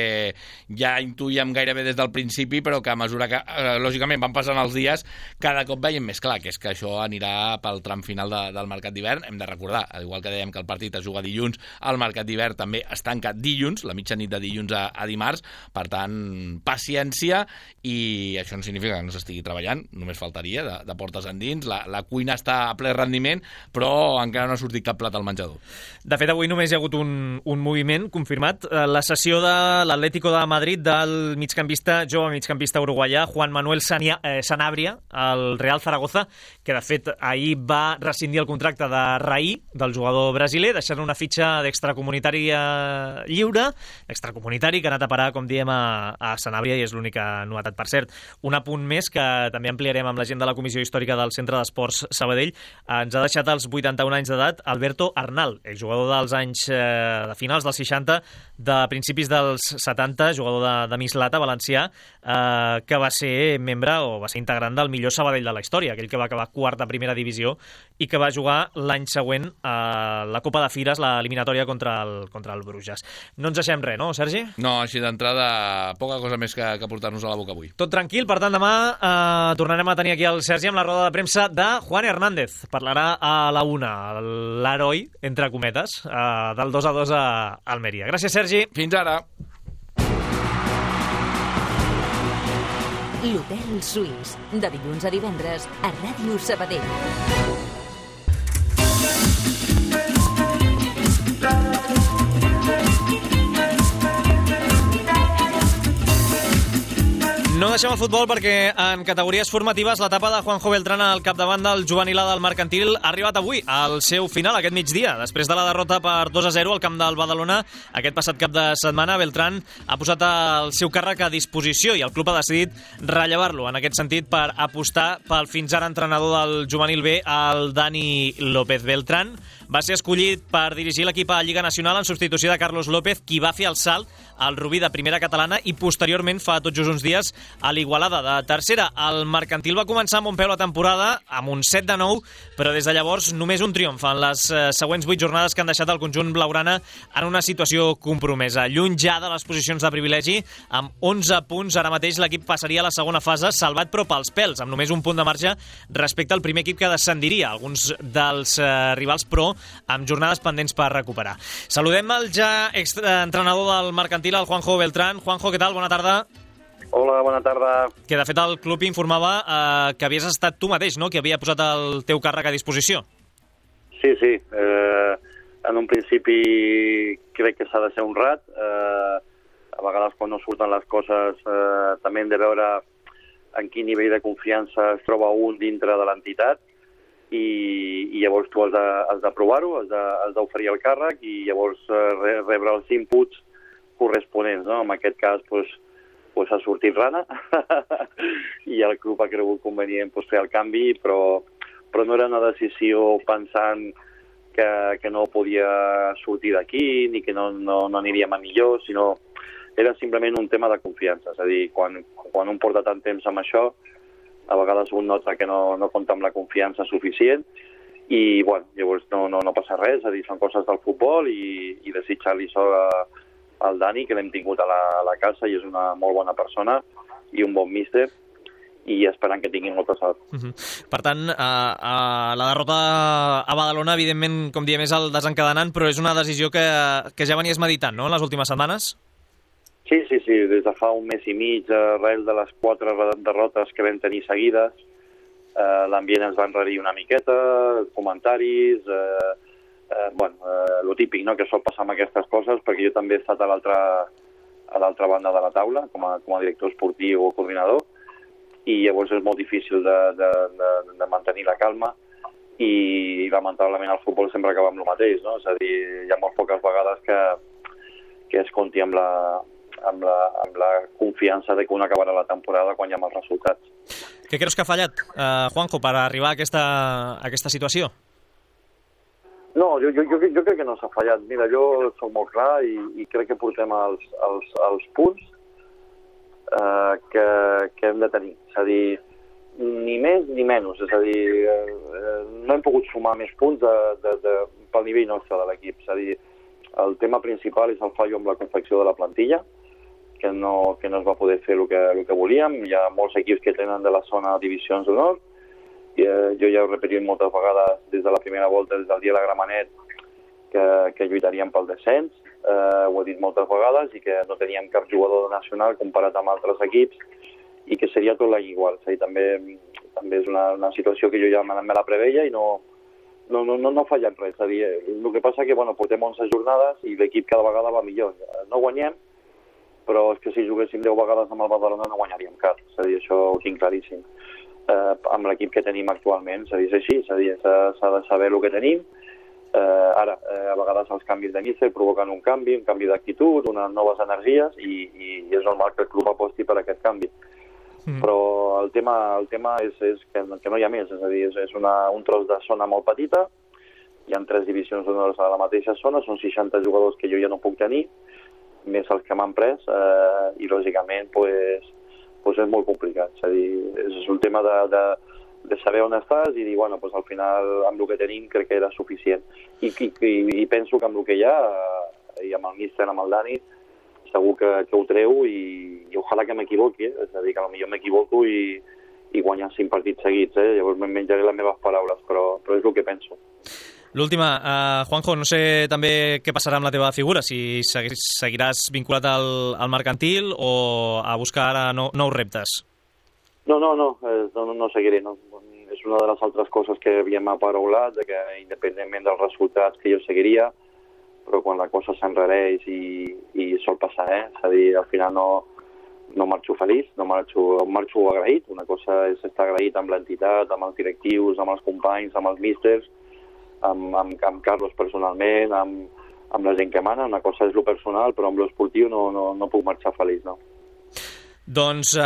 Speaker 4: ja intuïem gairebé des del principi, però que a mesura que, eh, lògicament, van passant els dies, cada cop veiem més clar, que és que això anirà pel tram final de, del mercat d'hivern. Hem de recordar, al igual que dèiem que el partit es juga dilluns, el mercat d'hivern també es tanca dilluns, la mitjanit de dilluns a, a dimarts, per tant, paciència, i això no significa que no s'estigui treballant, només faltaria, de, de portes endins, la, la cuina està a ple rendiment, però encara no ha sortit cap plat al menjador.
Speaker 1: De fet, avui només hi ha hagut un, un moviment confirmat, la cessió de l'Atlético de Madrid del migcampista, jove migcampista uruguaià, Juan Manuel Sania, eh, Sanabria, al Real Zaragoza, que de fet ahir va rescindir el contracte de Raí, del jugador brasiler, deixant una fitxa d'extracomunitari lliure, extracomunitari que ha anat a parar, com diem, a, a Sanabria, i és l'única novetat. Per cert, un apunt més que també ampliarem amb la gent de la Comissió Històrica del Centre d'Esports Sabadell. Ens ha deixat als vuitanta-un anys d'edat Alberto Arnal, exjugador dels anys eh, de finals dels seixanta, de principis dels setanta, jugador de, de Mislata, valencià, eh, que va ser membre o va ser integrant del millor Sabadell de la història, aquell que va acabar quart a primera divisió i que va jugar l'any següent a la Copa de Fires, l'eliminatòria contra el, contra el Bruges. No ens deixem res, no, Sergi?
Speaker 4: No, així d'entrada, poca cosa més que, que portar-nos a la boca avui.
Speaker 1: Tot tranquil, per tant, demà eh, tornarem a tenir aquí el Sergi amb la roda de premsa de Juan Hernández. Parlarà a la una, l'heroi, entre cometes, eh, del dos a dos a Almeria. Gràcies, Sergi.
Speaker 4: Fins ara.
Speaker 3: L'Hotel Suís, de dilluns a divendres a Ràdio Sabadell.
Speaker 1: No deixem el futbol perquè en categories formatives l'etapa de Juanjo Beltrán al capdavant del juvenil del Mercantil ha arribat avui al seu final aquest migdia. Després de la derrota per dos a zero al camp del Badalona aquest passat cap de setmana, Beltrán ha posat el seu càrrec a disposició i el club ha decidit rellevar-lo. En aquest sentit, per apostar pel fins ara entrenador del juvenil B, el Dani López. Beltrán va ser escollit per dirigir l'equip a Lliga Nacional en substitució de Carlos López, qui va fer el salt al Rubí de primera catalana i posteriorment, fa tot just uns dies, a l'Igualada de tercera. El Mercantil va començar amb un peu la temporada, amb un set de nou, però des de llavors només un triomf en les eh, següents vuit jornades que han deixat el conjunt blaugrana en una situació compromesa. Lluny ja de les posicions de privilegi, amb onze punts, ara mateix l'equip passaria a la segona fase, salvat però pels pèls, amb només un punt de marge respecte al primer equip que descendiria, alguns dels eh, rivals, però amb jornades pendents per recuperar. Saludem el ja exentrenador del Mercantil, el Juanjo Beltrán. Juanjo, què tal? Bona tarda.
Speaker 14: Hola, bona tarda.
Speaker 1: Que de fet el club informava eh, que havies estat tu mateix, no?, que havia posat el teu càrrec a disposició.
Speaker 14: Sí, sí. Eh, en un principi crec que s'ha de ser honrat. Eh, a vegades quan no surten les coses eh, també hem de veure en quin nivell de confiança es troba un dintre de l'entitat i, i llavors tu has de, has de provar-ho, has de, has d'oferir el càrrec i llavors eh, re, rebre els inputs corresponents, no? En aquest cas, doncs, pues ha sortit rana i el club ha cregut convenient pues, fer el canvi, però, però no era una decisió pensant que, que no podia sortir d'aquí ni que no, no, no aniríem a millor, sinó era simplement un tema de confiança. És a dir, quan, quan un porta tant temps amb això, a vegades un nota que no, no compta amb la confiança suficient i, bueno, llavors no, no, no passa res, és a dir, són coses del futbol i, i desitjar-li sort a el Dani, que l'hem tingut a la, a la casa i és una molt bona persona i un bon míster i esperant que tinguin molta sort.
Speaker 1: Uh-huh. Per tant, a, a la derrota a Badalona, evidentment, com diem, és el desencadenant, però és una decisió que, que ja venies meditant, no?, en les últimes setmanes?
Speaker 14: Sí, sí, sí. Des de fa un mes i mig, arrel de les quatre derrotes que vam tenir seguides, eh, l'ambient ens va enrarir una miqueta, comentaris... Eh, Eh, bueno, eh, lo típic, no?, que sol passar amb aquestes coses, perquè jo també he estat a l'altra a l'altra banda de la taula, com a, com a director esportiu o coordinador, i llavors és molt difícil de, de, de, de mantenir la calma i lamentablement al futbol sempre acaba amb el mateix, no? És a dir, hi ha molt poques vegades que, que es compti amb la, amb, la, amb la confiança de que un acabarà la temporada quan hi ha els resultats.
Speaker 1: Què creus que ha fallat, eh, Juanjo, per arribar a aquesta, a aquesta situació?
Speaker 14: No, jo, jo, jo, jo crec que no s'ha fallat. Mira, jo soc molt clar i, i crec que portem els, els, els punts eh, que, que hem de tenir. És a dir, ni més ni menys. És a dir, eh, no hem pogut sumar més punts de, de, de, pel nivell nostre de l'equip. És a dir, el tema principal és el fallo amb la confecció de la plantilla, que no, que no es va poder fer el que, el que volíem. Hi ha molts equips que tenen de la zona divisions d'honor. I, eh, jo ja he repetit moltes vegades des de la primera volta, des del dia de la Gramenet, que, que lluitaríem pel descens. Eh, ho he dit moltes vegades i que no teníem cap jugador nacional comparat amb altres equips i que seria tot l'any igual. És a dir, també, també és una, una situació que jo ja me, me la preveia i no, no, no, no ha fallat res. És a dir, el que passa que bueno, portem onze jornades i l'equip cada vegada va millor. No guanyem, però és que si juguéssim deu vegades amb el Badalona no guanyaríem cap. És a dir, això ho tinc claríssim. Eh, amb l'equip que tenim actualment, és a dir, és així, és a dir, s'ha de saber el que tenim. Eh, ara, eh, a vegades els canvis de míster provoquen un canvi, un canvi d'actitud, unes noves energies i, i és normal que el club aposti per aquest canvi. Mm. Però el tema, el tema és, és que, que no hi ha més, és a dir, és, és una, un tros de zona molt petita, hi ha tres divisions d'honors a la mateixa zona, són seixanta jugadors que jo ja no puc tenir, més els que m'han pres, eh, i lògicament, pues, pues és molt complicat. És a dir, és un tema de, de, de saber on estàs i dir, bueno, pues al final amb el que tenim crec que era suficient. I, i, i penso que amb el que hi ha, i amb el míster, amb el Dani, segur que, que ho treu i, i ojalà que m'equivoqui, eh? És a dir, que potser m'equivoco i, i guanyar cinc partits seguits, eh? Llavors me'n menjaré les meves paraules, però, però és el que penso.
Speaker 1: L'última, uh, Juanjo, no sé també què passarà amb la teva figura, si seguiràs vinculat al, al mercantil o a buscar ara no, nous reptes.
Speaker 14: No, no, no, no, no seguiré. No. És una de les altres coses que havíem aparaulat, de que independentment dels resultats que jo seguiria, però quan la cosa s'enrareix i, i sol passar, eh? És a dir, al final no, no marxo feliç, no marxo, marxo agraït. Una cosa és estar agraït amb l'entitat, amb els directius, amb els companys, amb els místers, Amb, amb, amb Carlos personalment, amb, amb la gent que mana. Una cosa és lo personal, però amb lo esportiu no, no, no puc marxar feliç, no.
Speaker 1: Doncs, uh,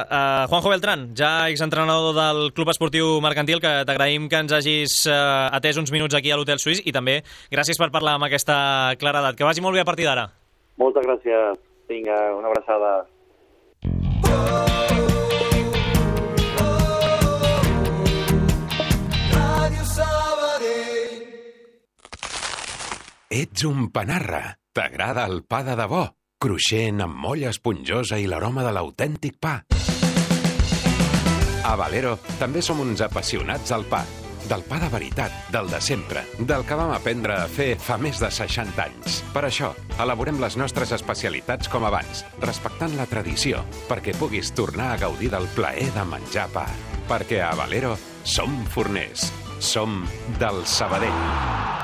Speaker 1: uh, Juanjo Beltrán, ja exentrenador del Club Esportiu Mercantil, que t'agraïm que ens hagis uh, atès uns minuts aquí a l'Hotel Suís i també gràcies per parlar amb aquesta claredat. Que vagi molt bé a partir d'ara.
Speaker 14: Moltes gràcies. Vinga, una abraçada.
Speaker 15: Ets un panarra. T'agrada el pa de debò, cruixent amb molla esponjosa i l'aroma de l'autèntic pa. A Valero també som uns apassionats al pa. Del pa de veritat, del de sempre, del que vam aprendre a fer fa més de seixanta anys. Per això, elaborem les nostres especialitats com abans, respectant la tradició, perquè puguis tornar a gaudir del plaer de menjar pa. Perquè a Valero som forners, som del Sabadell.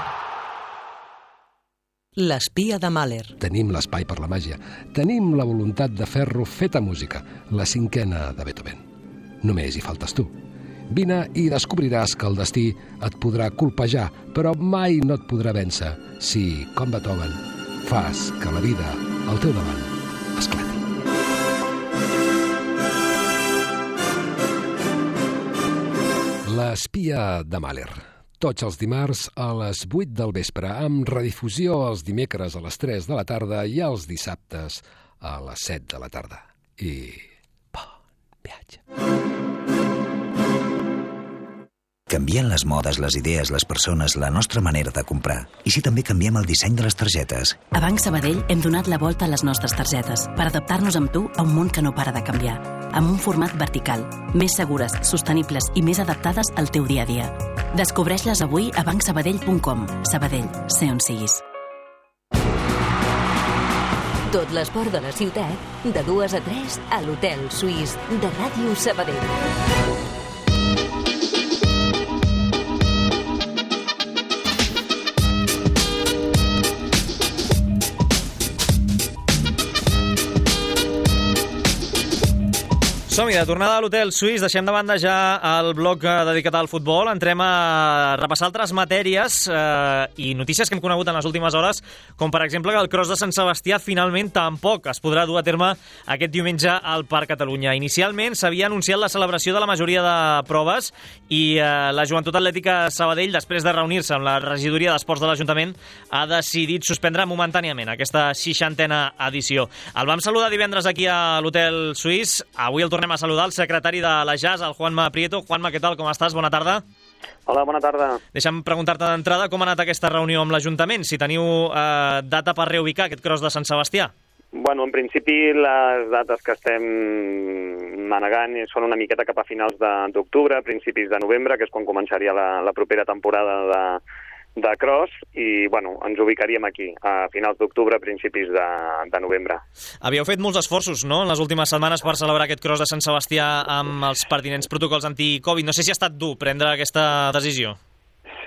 Speaker 16: L'espia de Mahler.
Speaker 17: Tenim l'espai per la màgia. Tenim la voluntat de fer-lo feta música, la cinquena de Beethoven. Només hi faltes tu. Vine i descobriràs que el destí et podrà colpejar, però mai no et podrà vèncer si, com Beethoven, fas que la vida al teu davant esclati. L'espia de Mahler. Tots els dimarts a les vuit del vespre, amb redifusió els dimecres a les tres de la tarda i els dissabtes a les set de la tarda. I bon viatge.
Speaker 18: Canvien les modes, les idees, les persones, la nostra manera de comprar. I si també canviem el disseny de les targetes?
Speaker 2: A Banc Sabadell hem donat la volta a les nostres targetes per adaptar-nos amb tu a un món que no para de canviar. Amb un format vertical, més segures, sostenibles i més adaptades al teu dia a dia. Descobreix-les avui a banc sabadell punt com. Sabadell, sé on siguis.
Speaker 3: Tot l'esport de la ciutat, de dues a tres, a l'Hotel Suís de Ràdio Sabadell.
Speaker 1: Som-hi, de tornada a l'Hotel Suís, deixem de banda ja el bloc dedicat al futbol, entrem a repassar altres matèries eh, i notícies que hem conegut en les últimes hores, com per exemple que el Cross de Sant Sebastià finalment tampoc es podrà dur a terme aquest diumenge al Parc Catalunya. Inicialment s'havia anunciat la celebració de la majoria de proves i eh, la Joventut Atlètica Sabadell, després de reunir-se amb la regidoria d'Esports de l'Ajuntament, ha decidit suspendre momentàniament aquesta seixantena edició. El vam saludar divendres aquí a l'Hotel Suís, avui el tornem a saludar el secretari de la J A S, el Juanma Prieto. Juanma, què tal? Com estàs? Bona tarda.
Speaker 19: Hola, bona tarda.
Speaker 1: Deixa'm preguntar-te d'entrada com ha anat aquesta reunió amb l'Ajuntament, si teniu eh, data per reubicar aquest Cross de Sant Sebastià.
Speaker 19: Bueno, en principi les dates que estem manegant són una miqueta cap a finals d'octubre, principis de novembre, que és quan començaria la, la propera temporada de, de Cross, i bueno, ens ubicaríem aquí, a finals d'octubre, principis de, de novembre.
Speaker 1: Havíeu fet molts esforços, no?, en les últimes setmanes per celebrar aquest Cross de Sant Sebastià amb els pertinents protocols anti-Covid. No sé si ha estat dur prendre aquesta decisió.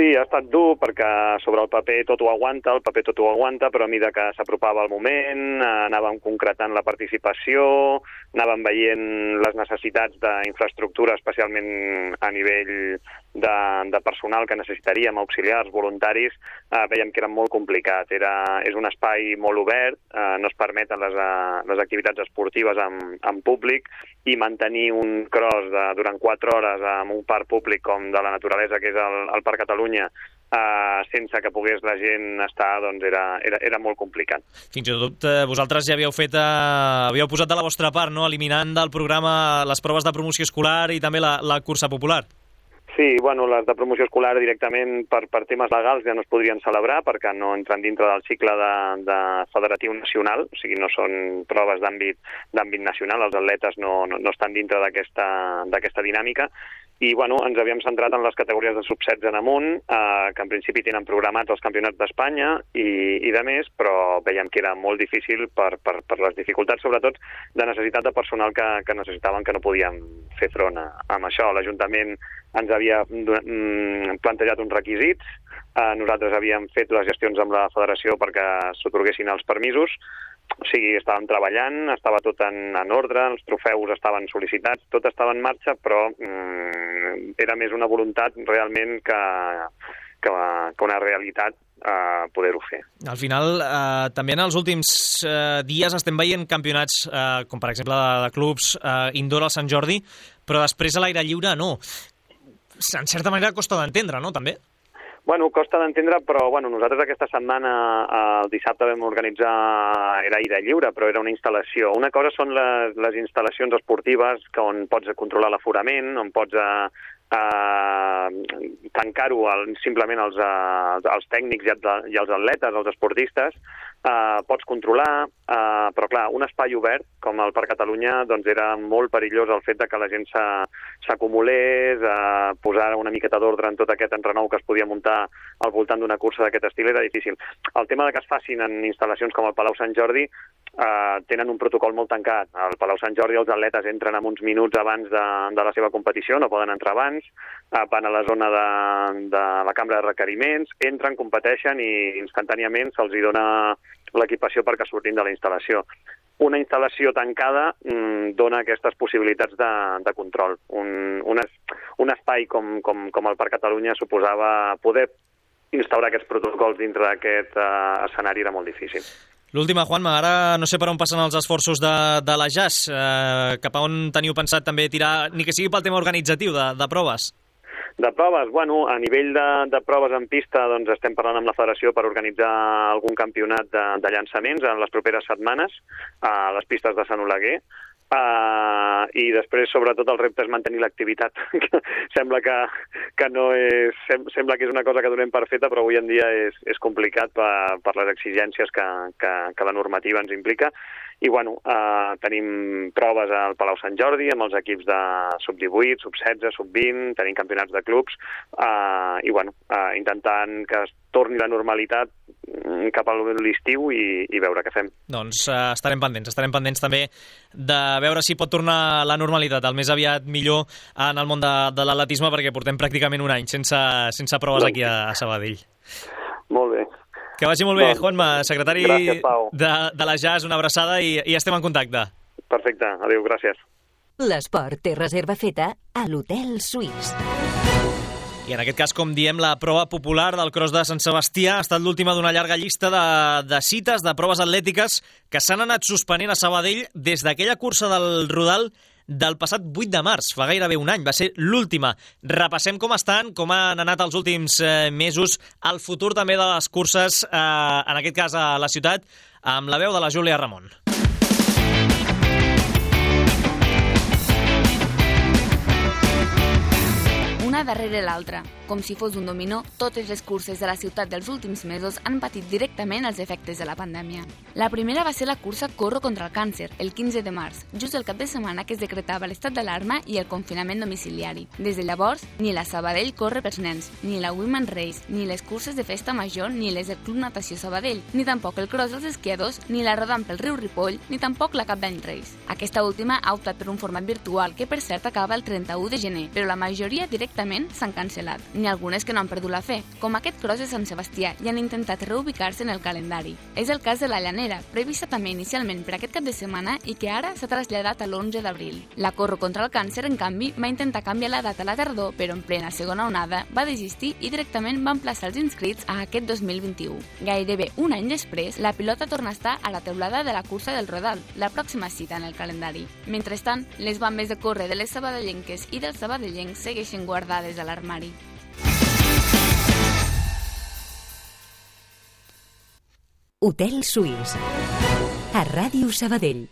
Speaker 19: Sí, ha estat dur perquè sobre el paper tot ho aguanta, el paper tot ho aguanta, però a mesura que s'apropava el moment, anàvem concretant la participació, anàvem veient les necessitats d'infraestructura, especialment a nivell de, de personal que necessitaríem, auxiliars, voluntaris, eh, veiem que era molt complicat. Era, és un espai molt obert, eh, no es permeten les, eh, les activitats esportives en, en públic, i mantenir un cross de, durant quatre hores amb un parc públic com de la naturalesa, que és el, el Parc Catalunya, Uh, sense que pogués la gent estar, doncs era, era, era molt complicat.
Speaker 1: Fins i tot eh, vosaltres ja havíeu fet, eh, havíeu posat de la vostra part, no?, eliminant del programa les proves de promoció escolar i també la, la cursa popular.
Speaker 19: Sí, bueno, les de promoció escolar directament per, per temes legals ja no es podrien celebrar perquè no entren dintre del cicle de, de federatiu nacional, o sigui, no són proves d'àmbit d'àmbit nacional, els atletes no, no, no estan dintre d'aquesta d'aquesta dinàmica. I bueno, ens havíem centrat en les categories de sub setze en amunt, eh, que en principi tenen programats els campionats d'Espanya i, i de més, però veiem que era molt difícil per, per, per les dificultats, sobretot de necessitat de personal que, que necessitaven, que no podíem fer front a, amb això. L'Ajuntament ens havia mm, plantejat uns requisits, eh, nosaltres havíem fet les gestions amb la federació perquè s'atorguessin els permisos, o sigui, estàvem treballant, estava tot en, en ordre, els trofeus estaven sol·licitats, tot estava en marxa, però mm, era més una voluntat realment que, que, que una realitat eh, poder-ho fer.
Speaker 1: Al final, eh, també en els últims eh, dies estem veient campionats, eh, com per exemple de, de clubs eh, indoor al Sant Jordi, però després a l'aire lliure no. En certa manera costa d'entendre, no?, també?
Speaker 19: Bueno, costa d'entendre, però bueno, nosaltres aquesta setmana, el dissabte vam organitzar, era aire lliure, però era una instal·lació. Una cosa són les, les instal·lacions esportives que on pots controlar l'aforament, on pots eh, eh, tancar-ho simplement als, eh, als tècnics i als, i als atletes, als esportistes, eh, pots controlar, eh, però clar, un espai obert com el Parc Catalunya, doncs era molt perillós el fet de que la gent s'acumulés, eh, posar una miqueta d'ordre en tot aquest entrenou que es podia muntar al voltant d'una cursa d'aquest estil era difícil. El tema de que es facin en instal·lacions com el Palau Sant Jordi eh, tenen un protocol molt tancat. Al Palau Sant Jordi els atletes entren amb uns minuts abans de, de la seva competició, no poden entrar abans, eh, van a la zona de, de la cambra de requeriments, entren, competeixen i instantàniament se'ls hi dona l'equipació perquè surtin de la instal·lació. Una instal·lació tancada mmm, dona aquestes possibilitats de, de control. Un, un, es, un espai com, com, com el Parc Catalunya suposava poder instaurar aquests protocols dintre d'aquest uh, escenari era molt difícil.
Speaker 1: L'última, Juanma, ara no sé per on passen els esforços de, de la J A S, eh, cap a on teniu pensat també tirar, ni que sigui pel tema organitzatiu de, de proves?
Speaker 19: De proves, bueno, a nivell de, de proves en pista, doncs estem parlant amb la federació per organitzar algun campionat de, de llançaments en les properes setmanes a les pistes de Sant Oleguer. Uh, i després, sobretot, el repte és mantenir l'activitat. sembla que, que no és, sem, sembla que és una cosa que donem per feta, però avui en dia és, és complicat per, per les exigències que, que, que la normativa ens implica. I, bueno, uh, tenim proves al Palau Sant Jordi amb els equips de sub divuit, sub setze, sub vint, tenim campionats de clubs, uh, i, bueno, uh, intentant que es torni la normalitat cap a l'estiu i, i veure què fem.
Speaker 1: Doncs uh, estarem pendents, estarem pendents també de veure si pot tornar la normalitat el més aviat millor en el món de, de l'atletisme, perquè portem pràcticament un any sense, sense proves doncs aquí a, a Sabadell.
Speaker 19: Molt bé.
Speaker 1: Que vagi molt bé, doncs, Juanma, secretari
Speaker 19: gràcies,
Speaker 1: de, de la J A S, una abraçada i, i estem en contacte.
Speaker 19: Perfecte, adéu, gràcies.
Speaker 3: L'esport té reserva feta a l'Hotel Suís.
Speaker 1: I en aquest cas, com diem, la prova popular del Cros de Sant Sebastià ha estat l'última d'una llarga llista de, de cites, de proves atlètiques que s'han anat suspenent a Sabadell des d'aquella cursa del Rodal del passat vuit de març, fa gairebé un any, va ser l'última. Repassem com estan, com han anat els últims eh, mesos, el futur també de les curses, eh, en aquest cas a la ciutat, amb la veu de la Júlia Ramon.
Speaker 20: Una darrere l'altra. Com si fos un dominó, totes les curses de la ciutat dels últims mesos han patit directament els efectes de la pandèmia. La primera va ser la cursa Corro contra el càncer, el quinze de març, just el cap de setmana que es decretava l'estat d'alarma i el confinament domiciliari. Des de llavors, ni la Sabadell Corre pels nens, ni la Women's Race, ni les curses de festa major, ni les del Club Natació Sabadell, ni tampoc el Cross dels esquiadors, ni la Rodant pel riu Ripoll, ni tampoc la Cap d'Any Race. Aquesta última ha optat per un format virtual que, per cert, acaba el trenta-u de gener, però la majoria directament s'han cancel·lat. N'hi ha algunes que no han perdut la fe, com aquest Cross de Sant Sebastià, i han intentat reubicar-se en el calendari. És el cas de la Llanera, prevista també inicialment per aquest cap de setmana i que ara s'ha traslladat a l'onze d'abril. La Corro contra el càncer, en canvi, va intentar canviar la data a la tardor, però en plena segona onada va desistir i directament va emplaçar els inscrits a aquest dos mil vint-i-u. Gairebé un any després, la pilota torna a estar a la teulada de la cursa del Rodal, la pròxima cita en el calendari. Mentrestant, les bambes de córrer de les sabadellenques i dels sabadellencs segueixen guardades a l'armari.
Speaker 3: Hotel Suís, a Ràdio Sabadell.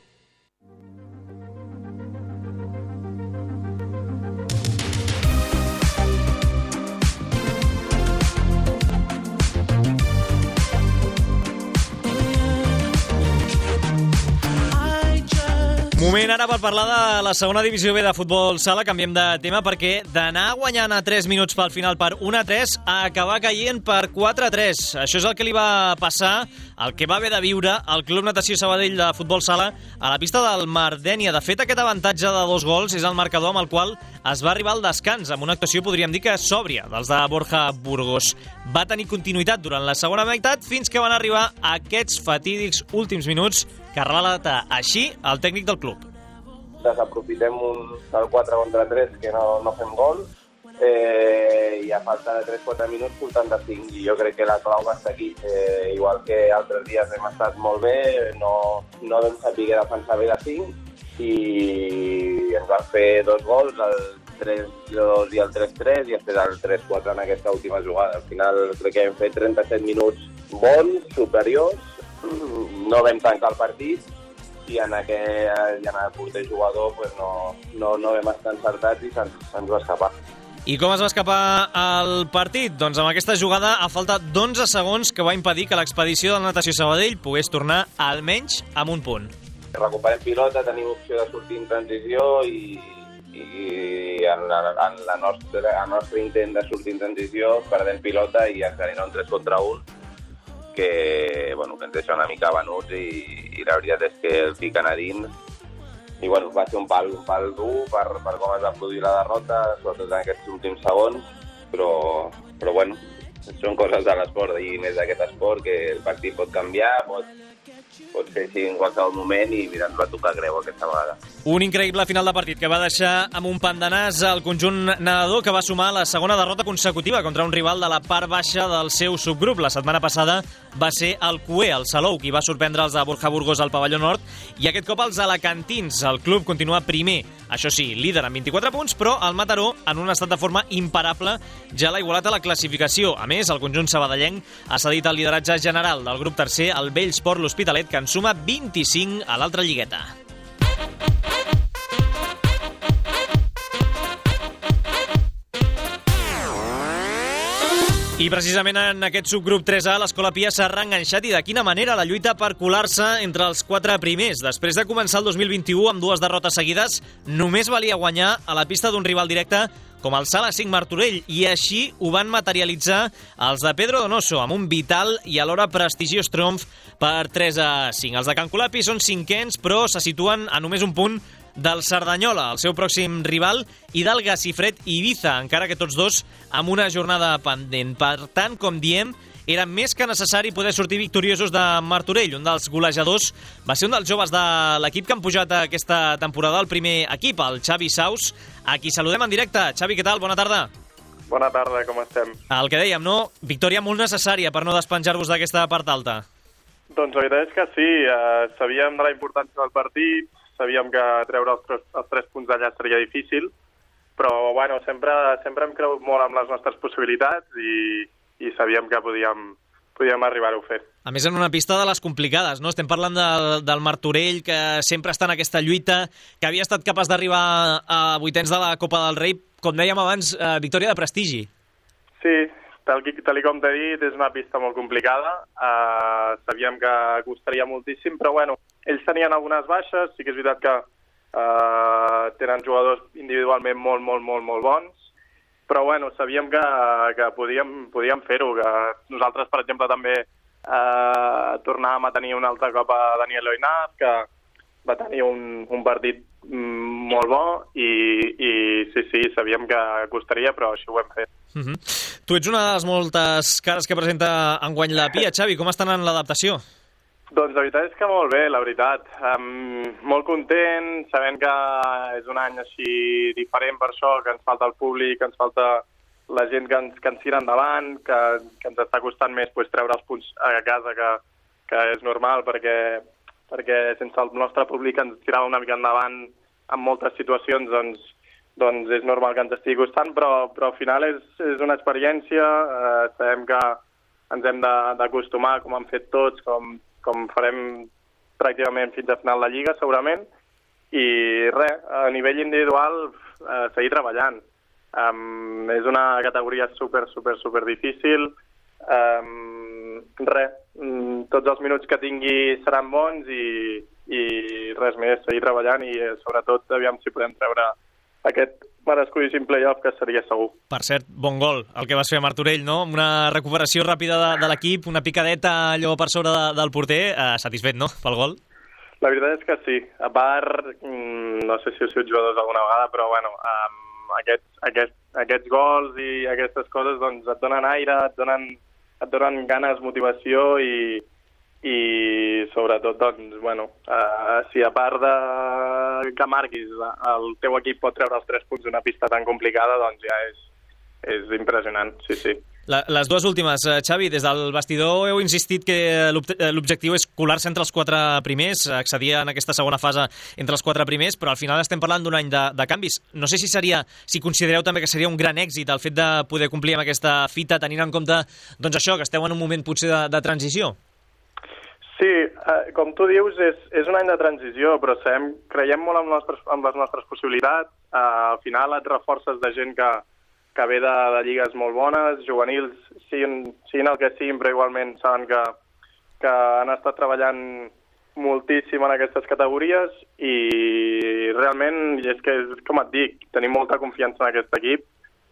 Speaker 1: Moment ara per parlar de la segona divisió B de futbol sala. Canviem de tema perquè d'anar guanyant a tres minuts pel final per un a tres a acabar caient per quatre a tres. Això és el que li va passar, el que va haver de viure al Club Natació Sabadell de futbol sala a la pista del Mardènia. De fet, aquest avantatge de dos gols és el marcador amb el qual es va arribar al descans, amb una actuació, podríem dir que sòbria, dels de Borja Burgos. Va tenir continuïtat durant la segona meitat fins que van arribar aquests fatídics últims minuts que relata així el tècnic del club.
Speaker 21: Desaprofitem un del quatre contra tres que no, no fem gol eh, i a falta de tres quatre minuts portant de cinc, i jo crec que la clau va estar aquí. Eh, igual que altres dies hem estat molt bé, no, no vam saber defensar bé de cinc i ens van fer dos gols, el tres dos i el tres tres, i després el tres quatre en aquesta última jugada. Al final crec que hem fet trenta-set minuts bons, superiors, no vam tancar el partit i en aquest, i en el porter jugador pues no, no, no vam estar encertats i se'ns, se'ns va escapar.
Speaker 1: I com es va escapar el partit? Doncs amb aquesta jugada a falta d'onze segons que va impedir que l'expedició del Natació Sabadell pogués tornar almenys amb un punt.
Speaker 21: Recuperem pilota, tenim opció de sortir en transició i, i en, la, en la nostra, el nostre intent de sortir en transició perdem pilota i ens genera un tres contra un que, bueno, que ens deixa una mica venuts i, i la veritat és que el fiquen a dins i bueno, va ser un pal, un pal dur per, per com es va produir la derrota, sobretot en aquests últims segons, però, però bueno, són coses de l'esport i més d'aquest esport que el partit pot canviar, pot, pot ser així en qualsevol moment i mira, ens va tocar greu aquesta vegada.
Speaker 1: Un increïble final de partit que va deixar amb un pam de nas al conjunt nedador, que va sumar la segona derrota consecutiva contra un rival de la part baixa del seu subgrup. La setmana passada va ser el Cué, el Salou, qui va sorprendre els de Borja Burgos al pavelló nord, i aquest cop els alacantins. El club continua primer, això sí, líder amb vint-i-quatre punts, però el Mataró en un estat de forma imparable ja l'ha igualat a la classificació. A més, el conjunt sabadellenc ha cedit el lideratge general del grup tercer al Vellsport l'Hospitalet, que en suma vint-i-cinc a l'altra lligueta. I precisament en aquest subgrup tres A l'Escola Pia s'ha reenganxat, i de quina manera, la lluita per colar-se entre els quatre primers. Després de començar el dos mil vint-i-u amb dues derrotes seguides, només valia guanyar a la pista d'un rival directe com el Sala cinc Martorell, i així ho van materialitzar els de Pedro Donoso amb un vital i alhora prestigiós triomf per tres a cinc. Els de Can Colapi són cinquens, però se situen a només un punt del Cerdanyola, el seu pròxim rival, i del Gacifred Ibiza, encara que tots dos amb una jornada pendent. Per tant, com diem, era més que necessari poder sortir victoriosos de Martorell. Un dels golejadors va ser un dels joves de l'equip que han pujat aquesta temporada al primer equip, el Xavi Saus, a qui saludem en directe. Xavi, què tal? Bona tarda.
Speaker 7: Bona tarda, com estem?
Speaker 1: El que dèiem, no? Victòria molt necessària per no despenjar-vos d'aquesta part alta.
Speaker 7: Doncs la veritat és que sí, eh, sabíem de la importància del partit, sabíem que treure els tres, els tres punts d'allà seria difícil, però bueno, sempre, sempre hem cregut molt amb les nostres possibilitats i, i sabíem que podíem, podíem arribar-ho a fer.
Speaker 1: A més, en una pista de les complicades, no? Estem parlant del, del Martorell, que sempre està en aquesta lluita, que havia estat capaç d'arribar a vuitens de la Copa del Rei, com dèiem abans, eh, victòria de prestigi.
Speaker 7: Sí, tal, tal com t'he dit, és una pista molt complicada. Uh, sabíem que costaria moltíssim, però bueno, ells tenien algunes baixes, sí que és veritat que uh, tenen jugadors individualment molt, molt, molt, molt bons, però bueno, sabíem que, que podíem, podíem fer-ho, que nosaltres, per exemple, també uh, tornàvem a tenir un altre cop a Daniel Loinaz, que va tenir un, un partit molt bo i, i sí, sí, sabíem que costaria, però així ho hem fet.
Speaker 1: Uh-huh. Tu ets una de les moltes cares que presenta enguany la Pia. Xavi, com està anant l'adaptació?
Speaker 7: Doncs la veritat és que molt bé, la veritat. Um, molt content, sabent que és un any així diferent per això, que ens falta el públic, que ens falta la gent que ens, que ens tira endavant, que, que ens està costant més pues, treure els punts a casa, que, que és normal, perquè, perquè sense el nostre públic ens tirava una mica endavant en moltes situacions, doncs, doncs és normal que ens estigui costant, però, però al final és, és una experiència, eh, sabem que ens hem d'acostumar, com han fet tots, com, com farem pràcticament fins a final de Lliga, segurament, i res, a nivell individual, eh, seguir treballant. Um, és una categoria super, super, super difícil, um, res, um, tots els minuts que tingui seran bons i, i res més, seguir treballant i eh, sobretot aviam si podem treure aquest merescudíssim play-off que seria segur.
Speaker 1: Per cert, bon gol, el que vas fer a Martorell, no? Una recuperació ràpida de, de l'equip, una picadeta allò per sobre de, del porter, eh, satisfet, no?, pel gol?
Speaker 7: La veritat és que sí. A part, no sé si heu sigut jugadors alguna vegada, però bueno, um, aquests, aquests, aquests gols i aquestes coses doncs et donen aire, et donen, et donen ganes, motivació i i sobretot, doncs, bueno, uh, si a part de que marquis el teu equip pot treure els tres punts d'una pista tan complicada, doncs ja és, és impressionant, sí, sí.
Speaker 1: La, les dues últimes, Xavi, des del vestidor heu insistit que l'objectiu és colar-se entre els quatre primers, accedir en aquesta segona fase entre els quatre primers, però al final estem parlant d'un any de, de canvis. No sé si seria, si considereu també que seria un gran èxit el fet de poder complir amb aquesta fita, tenint en compte, doncs això, que esteu en un moment potser de, de transició.
Speaker 7: Sí, eh, com tu dius, és, és un any de transició, però sabem, creiem molt en, nostres, en les nostres possibilitats. Eh, al final et reforces de gent que, que ve de, de lligues molt bones, juvenils, siguin, siguin el que siguin, però igualment saben que, que han estat treballant moltíssim en aquestes categories i realment, és que, com et dic, tenim molta confiança en aquest equip.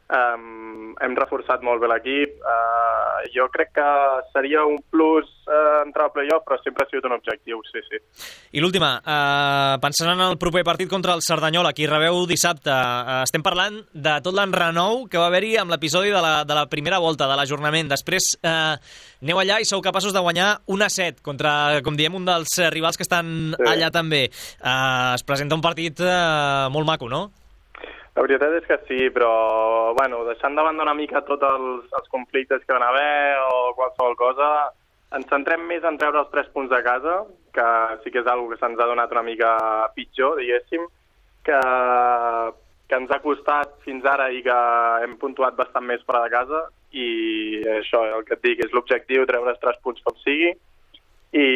Speaker 7: Um, hem reforçat molt bé l'equip. Uh, jo crec que seria un plus uh, entrar al play-off, però sempre ha sigut un objectiu, sí, sí.
Speaker 1: I l'última, uh, pensant en el proper partit contra el Cerdanyola, qui rebeu dissabte, uh, estem parlant de tot l'enrenou que va haver-hi amb l'episodi de, la, de la primera volta, de l'ajornament. Després uh, aneu allà i sou capaços de guanyar un a set contra, com diem, un dels rivals que estan sí. allà també. Uh, es presenta un partit uh, molt maco, no?
Speaker 7: La veritat és que sí, però bueno, deixant de banda una mica tots els, els conflictes que van haver o qualsevol cosa, ens centrem més en treure els tres punts de casa, que sí que és una cosa que se'ns ha donat una mica pitjor, diguéssim, que, que ens ha costat fins ara i que hem puntuat bastant més fora de casa, i això, el que et dic, és l'objectiu, treure els tres punts com sigui, i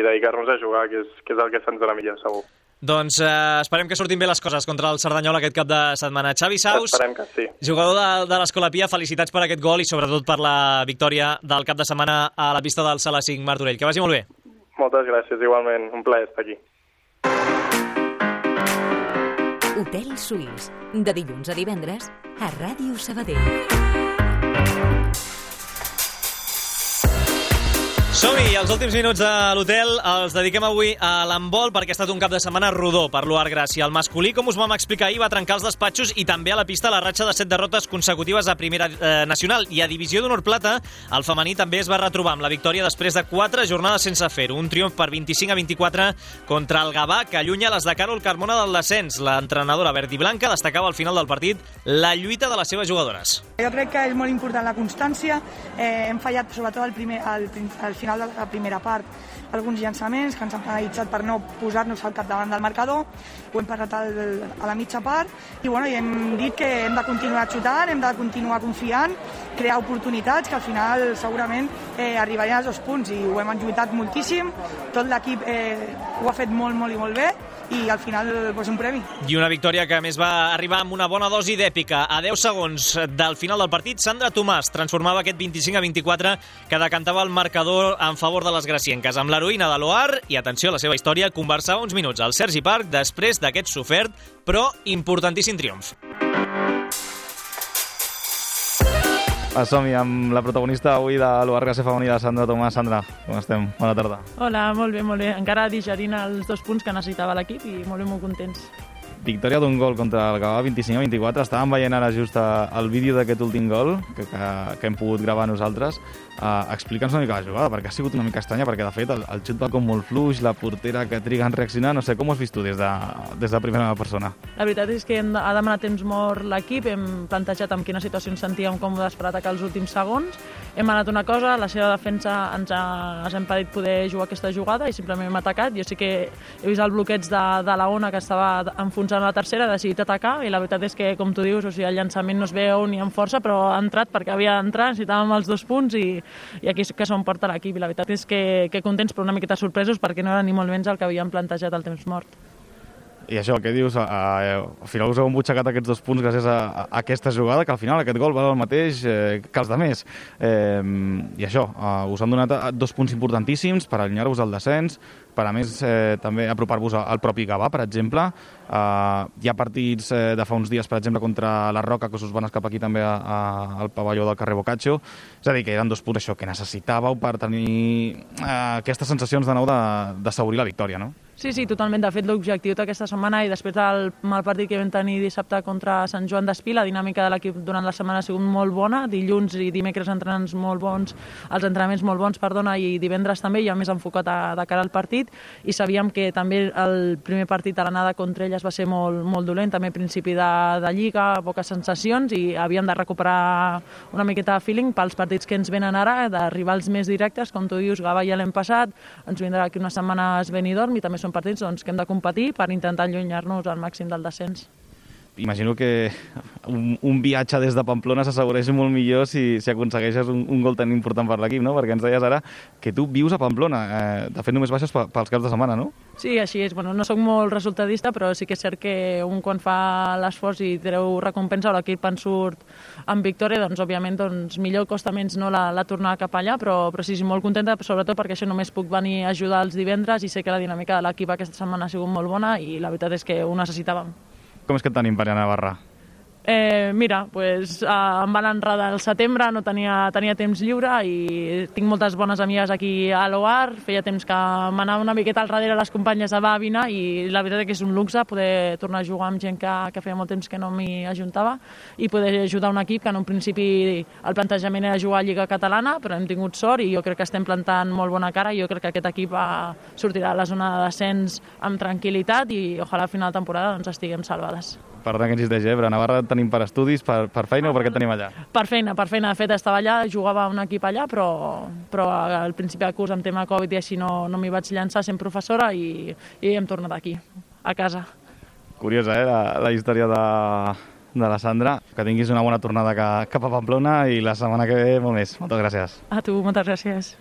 Speaker 7: dedicar-nos a jugar, que és, que és el que se'ns dona millor, segur.
Speaker 1: Doncs eh, esperem que surtin bé les coses contra el Cerdanyola aquest cap de setmana. Xavi Saus,
Speaker 7: esperem que sí.
Speaker 1: Jugador de, de l'Escola Pia, felicitats per aquest gol i sobretot per la victòria del cap de setmana a la pista del Sala cinc Martorell. Que vagi molt bé.
Speaker 7: Moltes gràcies, igualment. Un plaer estar aquí.
Speaker 3: Hotel Suís, de dilluns a divendres a Ràdio Sabadell.
Speaker 1: Som-hi, els últims minuts de l'hotel els dediquem avui a l'handbol perquè ha estat un cap de setmana rodó per l'U A R Gràcia. El masculí, com us vam explicar ahir, va trencar els despatxos i també a la pista la ratxa de set derrotes consecutives a Primera eh, Nacional. I a Divisió d'Honor Plata, el femení també es va retrobar amb la victòria després de quatre jornades sense fer-ho. Un triomf per vint-i-cinc a vint-i-quatre contra el Gavà, que allunya les de Carol Carmona del descens. L'entrenadora verd i blanca destacava al final del partit la lluita de les seves jugadores.
Speaker 8: Jo crec que és molt important la constància. Eh, hem fallat sobretot al, primer, al, al final de la primera part alguns llançaments que ens han penalitzat per no posar-nos al capdavant del marcador. Ho hem parat al, a la mitja part i, bueno, i hem dit que hem de continuar xutant, hem de continuar confiant, crear oportunitats que al final segurament eh, arribarien als dos punts i ho hem lluitat moltíssim. Tot l'equip eh, ho ha fet molt, molt i molt bé i al final pues, un premi.
Speaker 1: I una victòria que a més va arribar amb una bona dosi d'èpica. A deu segons del final del partit, Sandra Tomàs transformava aquest vint-i-cinc a vint-i-quatre que decantava el marcador en favor de les gracienques. Amb l'heroïna de l'O A R, i atenció a la seva història, conversava uns minuts al Sergi Parc després d'aquest sofert, però importantíssim triomf.
Speaker 22: Som-hi amb la protagonista avui de l'U A R Gràcia femení, la Sandra Tomàs. Sandra, com estem? Bona tarda.
Speaker 23: Hola, molt bé, molt bé. Encara digerint els dos punts que necessitava l'equip i molt bé, molt contents.
Speaker 22: Victòria d'un gol contra el Gavà, vint-i-cinc a vint-i-quatre. Estàvem veient ara just el vídeo d'aquest últim gol que, que, que hem pogut gravar nosaltres. Uh, Explica'ns una mica la jugada, perquè ha sigut una mica estranya, perquè de fet el, el xut va com molt fluix, la portera que triga en reaccionar, no sé, com ho has vist tu des de, des de primera persona?
Speaker 23: La veritat és que hem, ha demanat temps mort l'equip, hem plantejat en quina situació ens sentíem còmodes per atacar els últims segons, hem anat una cosa, la seva defensa ens ha, ens ha impedit poder jugar aquesta jugada i simplement hem atacat. Jo sí que he vist el bloqueig de, de la Ona que estava enfonsant a la tercera, ha decidit atacar i la veritat és que, com tu dius, o sigui, el llançament no es veu ni amb força, però ha entrat perquè havia d'entrar, necessitàvem els dos punts i, i aquí que s'ho emporta l'equip. I la veritat és que, que contents però una miqueta sorpresos perquè no era ni molt menys el que havíem plantejat al temps mort.
Speaker 22: I això, què dius? A, a, al final us heu embutxacat aquests dos punts gràcies a, a aquesta jugada, que al final aquest gol val el mateix eh, que els de més. Eh, I això, eh, us han donat dos punts importantíssims per allunyar-vos del descens, per a més eh, també apropar-vos al propi Gavà, per exemple. Eh, hi ha partits eh, de fa uns dies, per exemple, contra la Roca, que us van escapar aquí també a, a, al pavelló del carrer Boccaccio. És a dir, que eren dos punts això que necessitàveu per tenir eh, aquestes sensacions de nou d'assaborir la victòria, no?
Speaker 23: Sí, sí, totalment. De fet, l'objectiu d'aquesta setmana i després del mal partit que vam tenir dissabte contra Sant Joan d'Espí, la dinàmica de l'equip durant la setmana ha sigut molt bona. Dilluns i dimecres entrenaments molt bons, els entrenaments molt bons, perdona, i divendres també, ja més enfocat a, de cara al partit. I sabíem que també el primer partit a l'anada contra elles va ser molt, molt dolent, també principi de, de lliga, poques sensacions, i havíem de recuperar una miqueta de feeling pels partits que ens venen ara, de rivals més directes, com tu dius, Gavà ja l'hem passat, ens vindrà aquí unes setmanes Benidorm i també són partits doncs, que hem de competir per intentar allunyar-nos al màxim del descens.
Speaker 22: Imagino que un, un viatge des de Pamplona s'assegureix molt millor si, si aconsegueixes un, un gol tan important per l'equip, no? Perquè ens deies ara que tu vius a Pamplona. Eh, de fet, només baixes pels caps de setmana, no?
Speaker 23: Sí, així és. Bueno, no soc molt resultadista, però sí que és cert que un quan fa l'esforç i treu recompensa o l'equip en surt amb victòria, doncs, òbviament, doncs, millor costa menys no, la, la tornada cap allà, però, però sí, sí, molt contenta, sobretot perquè això només puc venir a ajudar els divendres i sé que la dinàmica de l'equip aquesta setmana ha sigut molt bona i la veritat és que ho necessitàvem.
Speaker 22: Com és que et tenim per anar a Navarra?
Speaker 23: Eh, mira, pues, eh, em van enredar al setembre, no tenia, tenia temps lliure i tinc moltes bones amigues aquí a l'O A R, feia temps que m'anava una miqueta al darrere les companyes a Bàbina i la veritat és que és un luxe poder tornar a jugar amb gent que, que feia molt temps que no m'hi ajuntava i poder ajudar un equip que en un principi el plantejament era jugar a Lliga Catalana, però hem tingut sort i jo crec que estem plantant molt bona cara i jo crec que aquest equip va, sortirà a la zona de descens amb tranquil·litat i ojalà a final de temporada doncs, estiguem salvades.
Speaker 22: Perdona que insisteix, eh? Però a Navarra tenim per estudis, per, per feina o per què tenim allà?
Speaker 23: Per feina, per feina. De fet, estava allà, jugava un equip allà, però, però al principi del curs, amb tema Covid i així, no, no m'hi vaig llançar sent professora i, i hem tornat aquí, a casa.
Speaker 22: Curiosa, eh? La, la història de, de la Sandra. Que tinguis una bona tornada cap a Pamplona i la setmana que ve molt més. Moltes gràcies.
Speaker 23: A tu, moltes gràcies.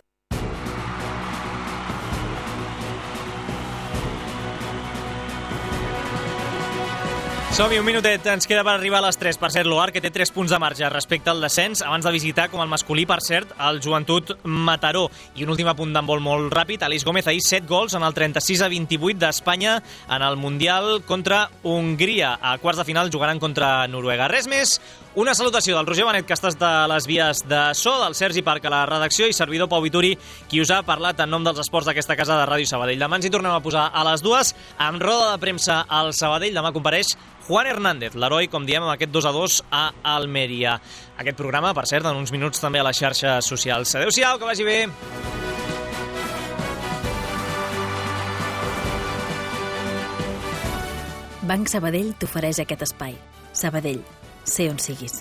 Speaker 1: Som-hi, un minutet, ens queda per arribar a les tres. Per cert, l'O A R, que té tres punts de marge respecte al descens, abans de visitar, com el masculí, per cert, el Joventut Mataró. I un últim apunt d'handbol molt ràpid. Aleix Gómez ahir set gols en el trenta-sis a vint-i-vuit d'Espanya en el Mundial contra Hongria. A quarts de final jugaran contra Noruega. Res més, una salutació del Roger Benet, que estàs de les vies de so, del Sergi Parc a la redacció i servidor Pau Vituri, qui us ha parlat en nom dels esports d'aquesta casa de Ràdio Sabadell. Demà ens hi tornem a posar a les dues amb roda de premsa al Sabadell. Demà compareix Juan Hernández, l'heroi, com diem, amb aquest dos a dos a Almeria. Aquest programa, per cert, en uns minuts també a les xarxes socials. Adéu-siau, que vagi bé!
Speaker 2: Banc Sabadell t'ofereix aquest espai. Sabadell, sé on siguis.